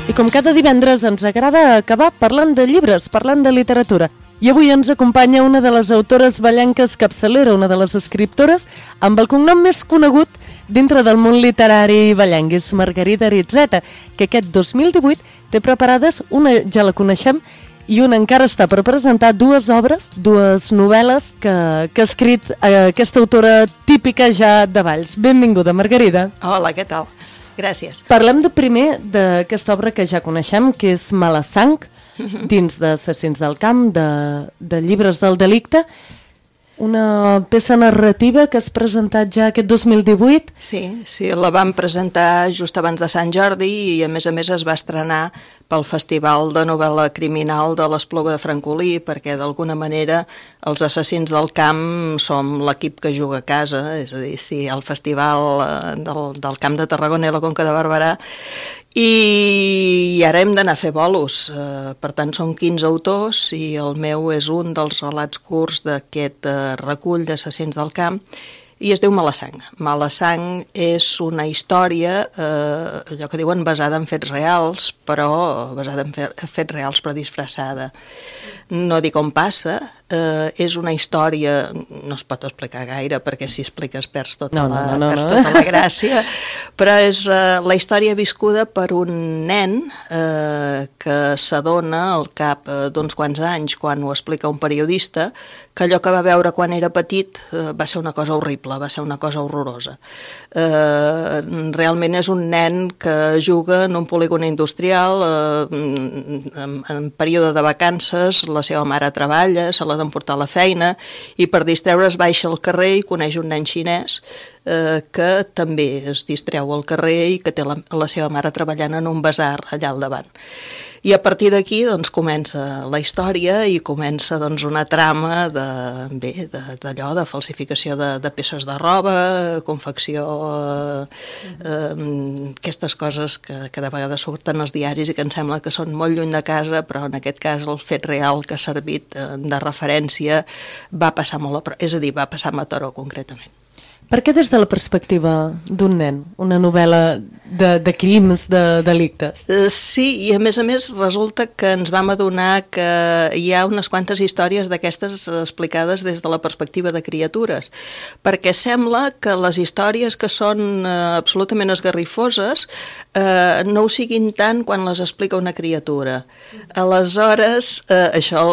B: I com cada divendres ens agrada acabar parlant de llibres, parlant de literatura. I avui ens acompanya una de les autores vallenques capçalera, una de les escriptores amb el cognom més conegut dintre del món literari vallenc, és Margarida Aritzeta, que aquest 2018 té preparades, una ja la coneixem, i una encara està per presentar, dues obres, dues novel·les que ha escrit aquesta autora típica ja de Valls. Benvinguda, Margarida.
K: Hola, què tal? Gràcies.
B: Parlem de primer d'aquesta obra que ja coneixem, que és Malassang, dins d'Assassins del Camp, de Llibres del Delicte. Una peça narrativa que has presentat ja aquest 2018.
K: Sí, la vam presentar just abans de Sant Jordi i a més es va estrenar pel Festival de Novel·la Criminal de l'Espluga de Francolí, perquè d'alguna manera els Assassins del Camp som l'equip que juga a casa, és a dir, sí, el Festival del Camp de Tarragona i la Conca de Barberà, i ara hem d'anar a fer bolos. Per tant, són 15 autors i el meu és un dels relats curts d'aquest recull d'Assassins del Camp i es diu Malassang. Malassang és una història, allò que diuen basada en fets reals, però basada en fets reals però disfressada. No dic on passa, és una història, no es pot explicar gaire perquè si expliques perds tota la gràcia, però és la història viscuda per un nen que s'adona al cap d'uns quants anys, quan ho explica un periodista, que allò que va veure quan era petit va ser una cosa horrible, va ser una cosa horrorosa. Realment és un nen que juga en un polígon industrial, en període de vacances, la seva mare treballa, se l'ha d'emportar a la feina i per distreure's baixa al carrer i coneix un nen xinès que també es distreu al carrer i que té la seva mare treballant en un basar allà al davant. I a partir d'aquí doncs, comença la història i comença doncs, una trama d'allò, de falsificació de peces de roba, confecció, aquestes coses que de vegades surten als diaris i que em sembla que són molt lluny de casa, però en aquest cas el fet real que ha servit de referència va passar molt a prop, és a dir, va passar a Mataró concretament.
B: Per què des de la perspectiva d'un nen, una novel·la de crims, de delictes?
K: Sí, i a més resulta que ens vam adonar que hi ha unes quantes històries d'aquestes explicades des de la perspectiva de criatures, perquè sembla que les històries que són absolutament esgarrifoses no ho siguin tant quan les explica una criatura. Aleshores, això,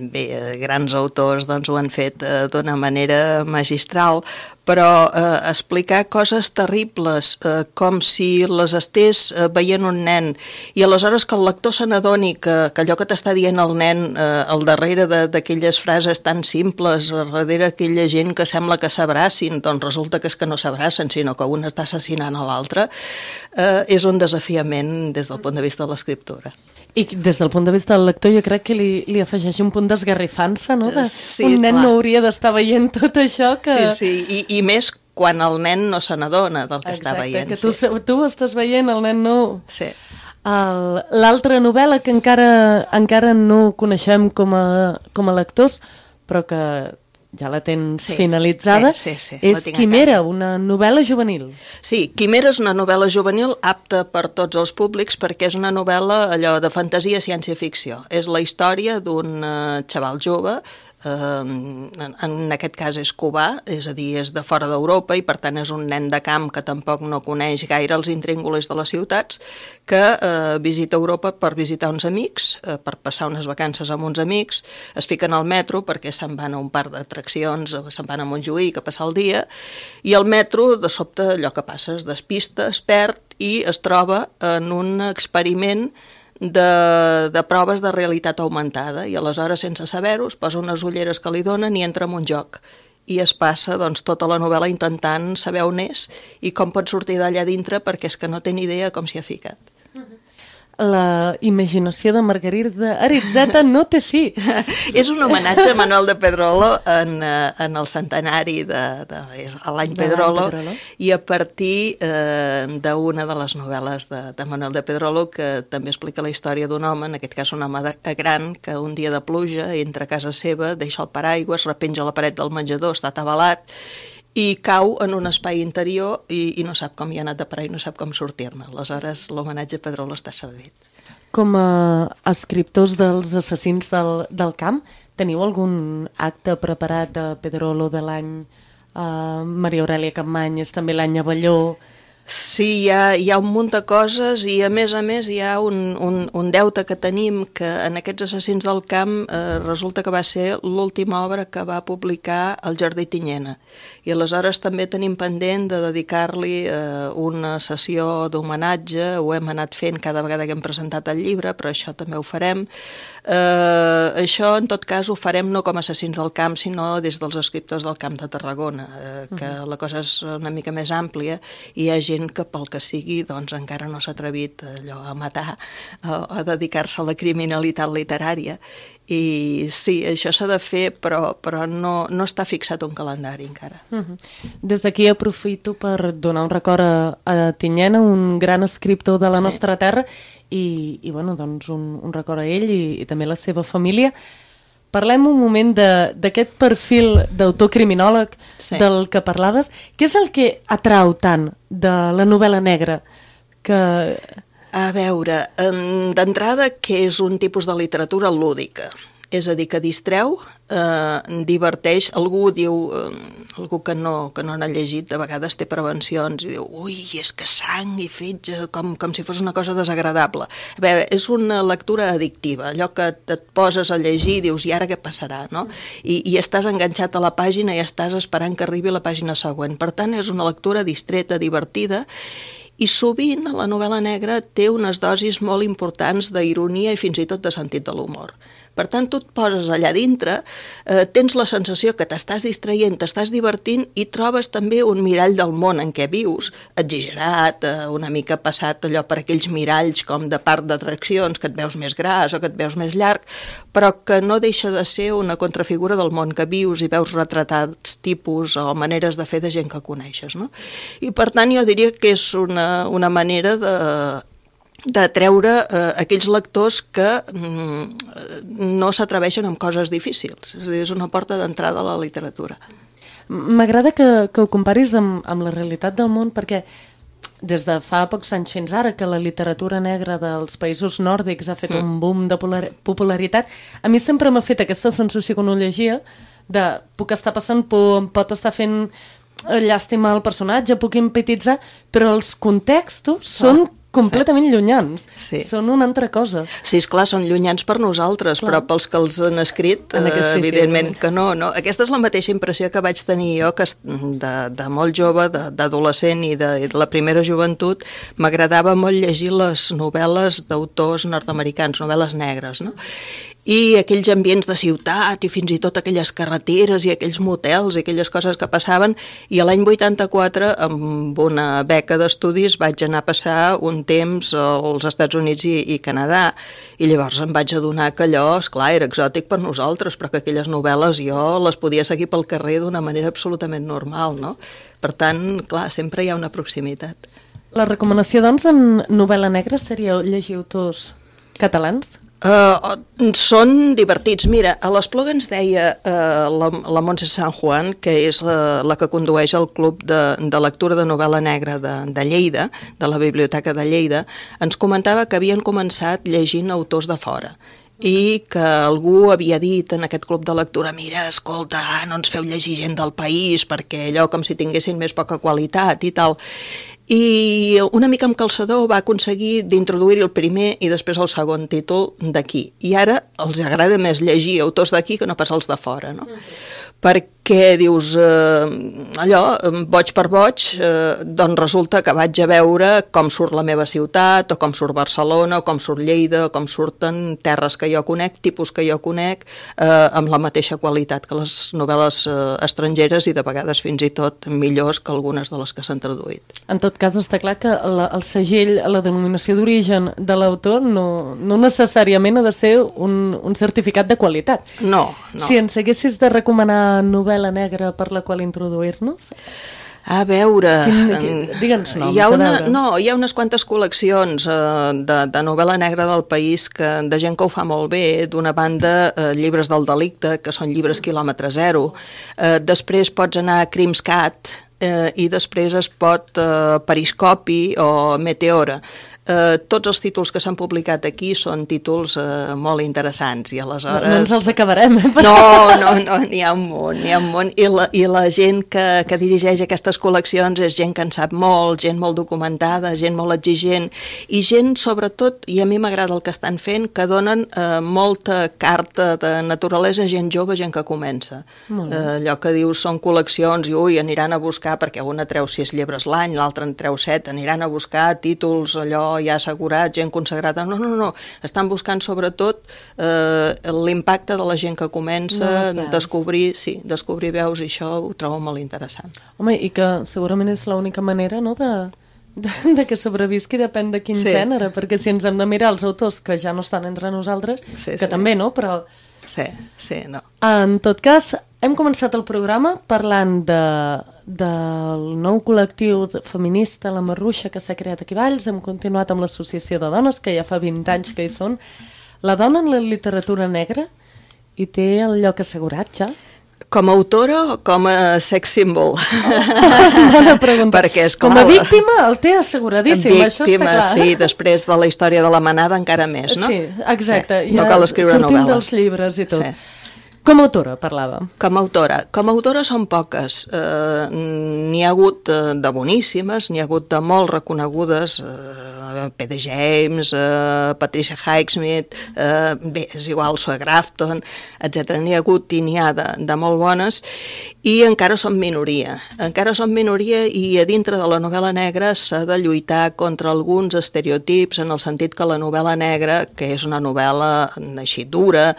K: bé, grans autors doncs, ho han fet d'una manera magistral, però explicar coses terribles com si les estés veient un nen i aleshores que el lector se n'adoni que allò que t'està dient el nen al darrere d'aquelles frases tan simples, darrere aquella gent que sembla que s'abracin, doncs resulta que és que no s'abracen, sinó que un està assassinant a l'altre, és un desafiament des del punt de vista de l'escriptura.
B: I des del punt de vista del lector jo crec que li afegeix un punt d'esgarrifança, no?
K: Sí,
B: un nen
K: clar.
B: no hauria d'estar veient tot això que...
K: Sí, i més quan el nen no se n'adona del que està veient.
B: Exacte, que tu estàs veient, el nen no...
K: Sí.
B: l'altra novel·la que encara no coneixem com a lectors, però que ja la tens finalitzada, és Quimera, una novel·la juvenil.
K: Sí, Quimera és una novel·la juvenil apta per tots els públics perquè és una novel·la allò de fantasia ciència-ficció. És la història d'un xaval jove, en aquest cas és cubà, és a dir, és de fora d'Europa i per tant és un nen de camp que tampoc no coneix gaire els intríngulis de les ciutats, que visita Europa per visitar uns amics, per passar unes vacances amb uns amics, es fiquen al metro perquè se'n van a un parc d'atraccions, se'n van a Montjuïc a passar el dia, i el metro, de sobte, allò que passa, es despista, es perd i es troba en un experiment de proves de realitat augmentada i aleshores, sense saber-ho, es posa unes ulleres que li donen i entra en un joc. I es passa tota la novel·la intentant saber on és i com pot sortir d'allà dintre perquè és que no té ni idea com s'hi ha ficat.
B: La imaginació de Margarida Aritzeta no té fi.
K: És un homenatge a Manuel de Pedrolo en el centenari de l'any Pedrolo, i a partir d'una de les novel·les de Manuel de Pedrolo que també explica la història d'un home, en aquest cas un home gran, que un dia de pluja entra a casa seva, deixa el paraigües, repenja la paret del menjador, està atabalat, i cau en un espai interior i no sap com hi ha anat de parar i no sap com sortir-ne. Aleshores, l'homenatge a Pedrolo està servit.
B: Com a escriptors dels assassins del camp, teniu algun acte preparat de Pedrolo de l'any Maria Aurèlia Capmany, és també l'any Avelló?
K: Sí, hi ha un munt de coses i a més hi ha un deute que tenim que en aquests assassins del camp resulta que va ser l'última obra que va publicar el Jordi Tinyena i aleshores també tenim pendent de dedicar-li una sessió d'homenatge, ho hem anat fent cada vegada que hem presentat el llibre, però això també ho farem. Això en tot cas ho farem no com a assassins del camp sinó des dels escriptors del Camp de Tarragona, que la cosa és una mica més àmplia i hi ha gent que pel que sigui doncs encara no s'ha atrevit allò a matar o a dedicar-se a la criminalitat literària i sí, això s'ha de fer però no està fixat un calendari encara.
B: Des d'aquí aprofito per donar un record a Tinyena, un gran escriptor de la nostra terra i bueno, doncs un record a ell i també a la seva família. Parlem un moment d'aquest perfil d'autor criminòleg del que parlaves. Què és el que atrau tant de la novel·la negra?
K: A veure, d'entrada que és un tipus de literatura lúdica, és a dir, que distreu, diverteix. Algú diu, algú que no n'ha llegit, de vegades té prevencions i diu, ui, és que sang i fetge, com si fos una cosa desagradable. A veure, és una lectura addictiva, allò que et poses a llegir i dius, i ara què passarà, no? I estàs enganxat a la pàgina i estàs esperant que arribi la pàgina següent. Per tant, és una lectura distreta, divertida, i sovint la novel·la negra té unes dosis molt importants d'ironia i fins i tot de sentit de l'humor. Per tant, tu et poses allà dintre, tens la sensació que t'estàs distraient, t'estàs divertint i trobes també un mirall del món en què vius, exagerat, una mica passat allò per aquells miralls com de parc d'atraccions, que et veus més gras o que et veus més llarg, però que no deixa de ser una contrafigura del món que vius i veus retratats tipus o maneres de fer de gent que coneixes, no? I per tant jo diria que és una manera de treure aquells lectors que no s'atreveixen amb coses difícils. És a dir, és una porta d'entrada a la literatura.
B: M'agrada que ho comparis amb la realitat del món perquè des de fa pocs anys fins ara que la literatura negra dels països nòrdics ha fet un boom de popularitat, a mi sempre m'ha fet aquesta sensació quan ho llegia de puc estar passant por, em pot estar fent llàstima al personatge, puc empatitzar, però els contextos són completament llunyans. Són una altra cosa.
K: Sí, esclar, són llunyans per nosaltres, però pels que els han escrit, evidentment que no. Aquesta és la mateixa impressió que vaig tenir jo, que de molt jove, d'adolescent i de la primera joventut, m'agradava molt llegir les novel·les d'autors nord-americans, novel·les negres, no? I aquells ambients de ciutat i fins i tot aquelles carreteres i aquells motels i aquelles coses que passaven, i l'any 84 amb una beca d'estudis vaig anar a passar un temps als Estats Units i Canadà, i llavors em vaig adonar que allò, esclar, era exòtic per nosaltres, però que aquelles novel·les jo les podia seguir pel carrer d'una manera absolutament normal, no? Per tant, clar, sempre hi ha una proximitat.
B: La recomanació, doncs, en novel·la negra seria llegir autors catalans?
K: Són divertits. Mira, a l'Espluga ens deia la Montse San Juan, que és la que condueix el club de lectura de novel·la negra de Lleida, de la Biblioteca de Lleida, ens comentava que havien començat llegint autors de fora i que algú havia dit en aquest club de lectura, mira, escolta, no ens feu llegir gent del país perquè allò com si tinguessin més poca qualitat i tal. I una mica amb calçador va aconseguir d'introduir el primer i després el segon títol d'aquí. I ara els agrada més llegir autors d'aquí que no pas els de fora, no? Perquè dius, allò, boig per boig, doncs resulta que vaig a veure com surt la meva ciutat, o com surt Barcelona, o com surt Lleida, o com surten terres que jo conec, tipus que jo conec, amb la mateixa qualitat que les novel·les estrangeres i de vegades fins i tot millors que algunes de les que s'han traduït.
B: En tot cas, està clar que el segell, la denominació d'origen de l'autor no necessàriament ha de ser un certificat de qualitat.
K: No.
B: Si ens haguessis de recomanar novel·la negra per la qual introduir-nos?
K: A veure...
B: Digue'ns noms,
K: hi ha unes quantes col·leccions de novel·la negra del país de gent que ho fa molt bé. D'una banda, Llibres del delicte, que són llibres quilòmetre zero. Després pots anar a Crimscat, i després es pot Periscopi o Meteora. Tots els títols que s'han publicat aquí són títols molt interessants i aleshores...
B: No ens els acabarem,
K: No, n'hi ha un munt. I la gent que dirigeix aquestes col·leccions és gent que en sap molt, gent molt documentada, gent molt exigent i gent, sobretot, i a mi m'agrada el que estan fent, que donen molta carta de naturalesa a gent jove, gent que comença. Allò que dius són col·leccions i aniran a buscar, perquè una treu 6 llibres l'any, l'altra en treu 7, aniran a buscar títols allò ja assegurat, gent consagrada. No. Estan buscant sobretot l'impacte de la gent que comença, descobrir veus, i això ho trobo molt interessant.
B: Home, i que segurament és l'única manera, no?, de que sobrevisqui, depèn de quin gènere, perquè si ens hem de mirar els autors que ja no estan entre nosaltres, que també, no?, però...
K: Sí, no.
B: En tot cas, hem començat el programa parlant del nou col·lectiu feminista, la Marruixa, que s'ha creat aquí a Valls. Hem continuat amb l'Associació de Dones, que ja fa 20 anys que hi són. La dona en la literatura negra hi té el lloc assegurat, ja?
K: Com a autora o com a sex symbol?
B: Bona pregunta.
K: Perquè, esclar,
B: com a víctima el té asseguradíssim, això està clar.
K: Sí, després de la història de la manada encara més, no?
B: Sí, exacte.
K: No cal escriure novel·les.
B: Sortim dels llibres i tot. Sí. Com a autora, parlàvem.
K: Com a autora són poques. N'hi ha hagut de boníssimes, n'hi ha hagut de molt reconegudes, P.D. James, Patricia Highsmith, bé, és igual, Sue Grafton, etc. N'hi ha hagut i n'hi ha de molt bones, i encara són minoria. Encara són minoria i a dintre de la novel·la negra s'ha de lluitar contra alguns estereotips, en el sentit que la novel·la negra, que és una novel·la així dura,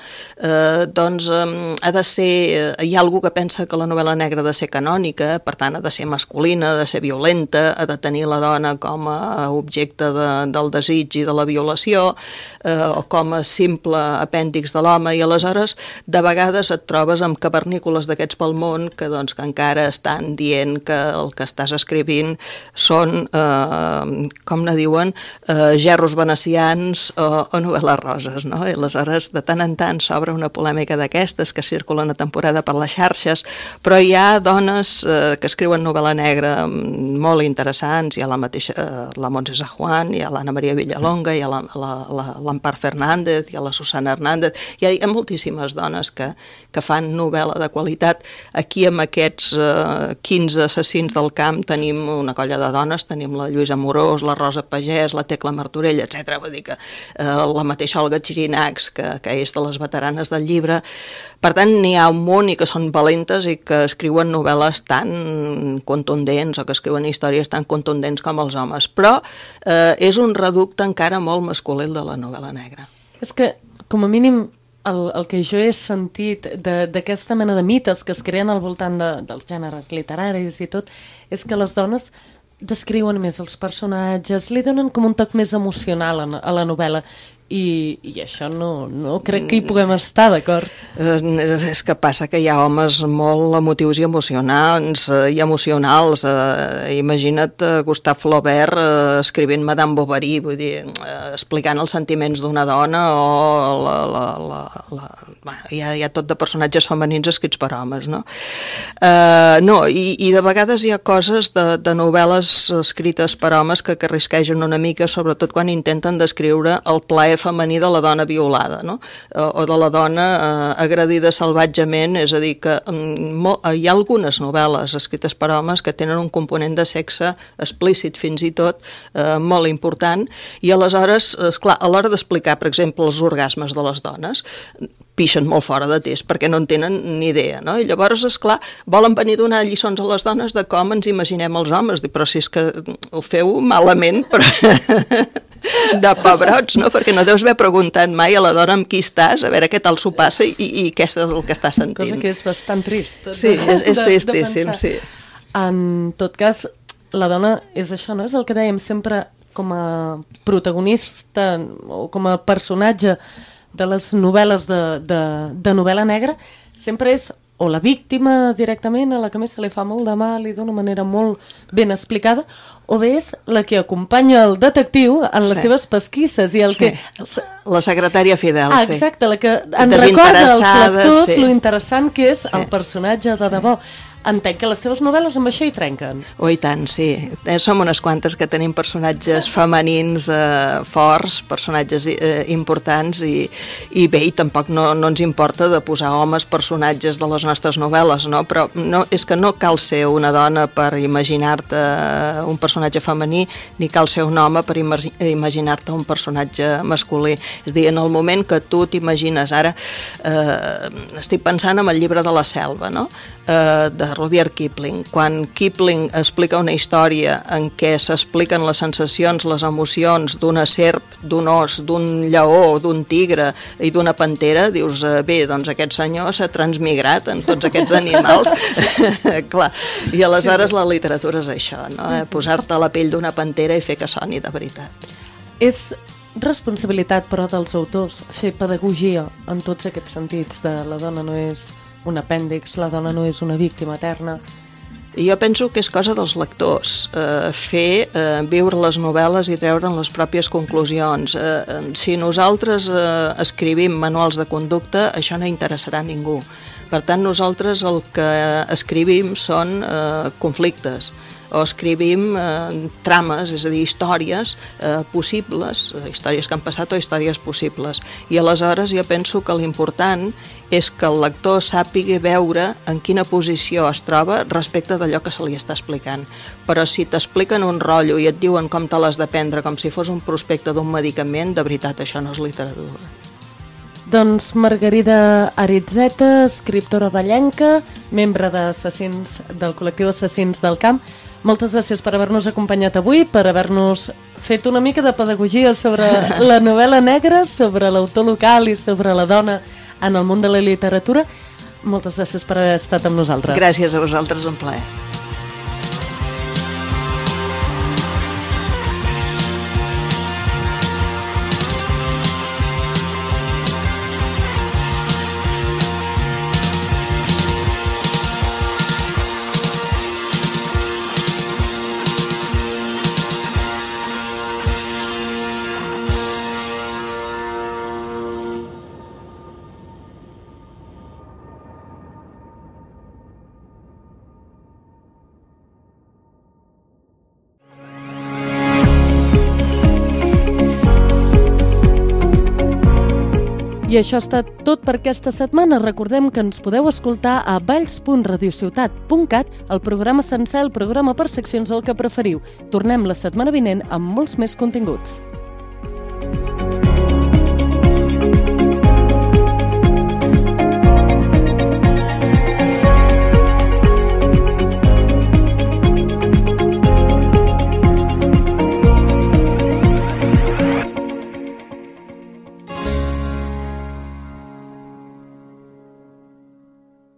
K: doncs ha de ser... Hi ha algú que pensa que la novel·la negra ha de ser canònica, per tant ha de ser masculina, ha de ser violenta, ha de tenir la dona com a objecte del desig i de la violació, o com a simple apèndix de l'home, i aleshores de vegades et trobes amb cavernícoles d'aquests pel món que encara estan dient que el que estàs escrivint són, com ne diuen, gerros venecians o novel·les roses, no? I aleshores de tant en tant s'obre una polèmica d'aquestes que circulen a temporada per les xarxes, però hi ha dones que escriuen novel·la negra molt interessants. Hi ha la mateixa, la Montse San Juan, hi ha l'Anna Maria Villalonga, hi ha l'Ampar Fernández, hi ha la Susana Hernández, hi ha moltíssimes dones que fan novel·la de qualitat. Aquí amb aquests 15 assassins del camp tenim una colla de dones, tenim la Lluïsa Amorós, la Rosa Pagès, la Tecla Martorell, etc. Vull dir que la mateixa Olga Chirinacs, que és de les veteranes del llibre. Per tant, n'hi ha un munt i que són valentes i que escriuen novel·les tan contundents o que escriuen històries tan contundents com els homes. Però és un reducte encara molt masculí de la novel·la negra.
B: És que, com a mínim, el que jo he sentit d'aquesta mena de mites que es creen al voltant dels gèneres literaris i tot, és que les dones descriuen més els personatges, li donen com un toc més emocional a la novel·la. i això no crec que hi puguem estar d'acord.
K: És que passa que hi ha homes molt emotius i emocionants i emocionals. Imagina't Gustave Flaubert escrivint Madame Bovary, vull dir, explicant els sentiments d'una dona, o hi ha tot de personatges femenins escrits per homes, no? I de vegades hi ha coses de novel·les escrites per homes que arrisquegen una mica, sobretot quan intenten descriure el plaer femení de la dona violada, no? O de la dona agredida salvatgement, és a dir, que hi ha algunes novel·les escrites per homes que tenen un component de sexe explícit fins i tot molt important, i aleshores, esclar, a l'hora d'explicar, per exemple, els orgasmes de les dones, pixen molt fora de test, perquè no en tenen ni idea, no? I llavors, esclar, volen venir a donar lliçons a les dones de com ens imaginem els homes, però si és que ho feu malament, però de pebrots, no? Perquè no deus haver preguntat mai a la dona amb qui estàs, a veure què tal s'ho passa i què és el que està sentint.
B: Cosa que és bastant trist.
K: Sí, és tristíssim, sí.
B: En tot cas, la dona és això, no? És el que dèiem sempre com a protagonista o com a personatge de les novel·les de novel·la negra, sempre és o la víctima directament, a la que més se li fa molt de mal i d'una manera molt ben explicada, o bé és la que acompanya el detectiu en les seves pesquisses i el que...
K: La secretària fidel, sí.
B: Exacte, la que en recorda als lectors lo interessant que és el personatge de debò. Entenc que les seves novel·les amb això hi trenquen.
K: Oh, i tant, sí. Som unes quantes que tenim personatges femenins forts, personatges importants, i bé, i tampoc no ens importa de posar homes personatges de les nostres novel·les, no? Però és que no cal ser una dona per imaginar-te un personatge femení, ni cal ser un home per imaginar-te un personatge masculí. És a dir, en el moment que tu t'imagines, ara estic pensant en el llibre de la selva, no? De Rudyard Kipling. Quan Kipling explica una història en què s'expliquen les sensacions, les emocions d'una serp, d'un os, d'un lleó, d'un tigre i d'una pantera, dius, bé, doncs aquest senyor s'ha transmigrat en tots aquests animals. Clar, i aleshores la literatura és això, no? Posar-te a la pell d'una pantera i fer que soni de veritat.
B: És responsabilitat, però, dels autors fer pedagogia en tots aquests sentits, de la dona no és un apèndix, la dona no és una víctima eterna.
K: Jo penso que és cosa dels lectors, viure les novel·les i treure'n les pròpies conclusions. Si nosaltres escrivim manuals de conducta, això no interessarà a ningú. Per tant, nosaltres el que escrivim són conflictes, o escrivim trames, és a dir, històries possibles, històries que han passat o històries possibles. I aleshores jo penso que l'important és que el lector sàpiga veure en quina posició es troba respecte d'allò que se li està explicant. Però si t'expliquen un rotllo i et diuen com te l'has de prendre com si fos un prospecte d'un medicament, de veritat, això no és literatura.
B: Doncs Margarida Aritzeta, escriptora vallenca, membre del col·lectiu Assassins del Camp, moltes gràcies per haver-nos acompanyat avui, per haver-nos fet una mica de pedagogia sobre la novel·la negra, sobre l'autor local i sobre la dona en el món de la literatura. Moltes gràcies per haver estat amb nosaltres.
K: Gràcies a vosaltres, un plaer.
B: I això ha estat tot per aquesta setmana. Recordem que ens podeu escoltar a valls.radiociutat.cat, el programa sencer, el programa per seccions, el que preferiu. Tornem la setmana vinent amb molts més continguts.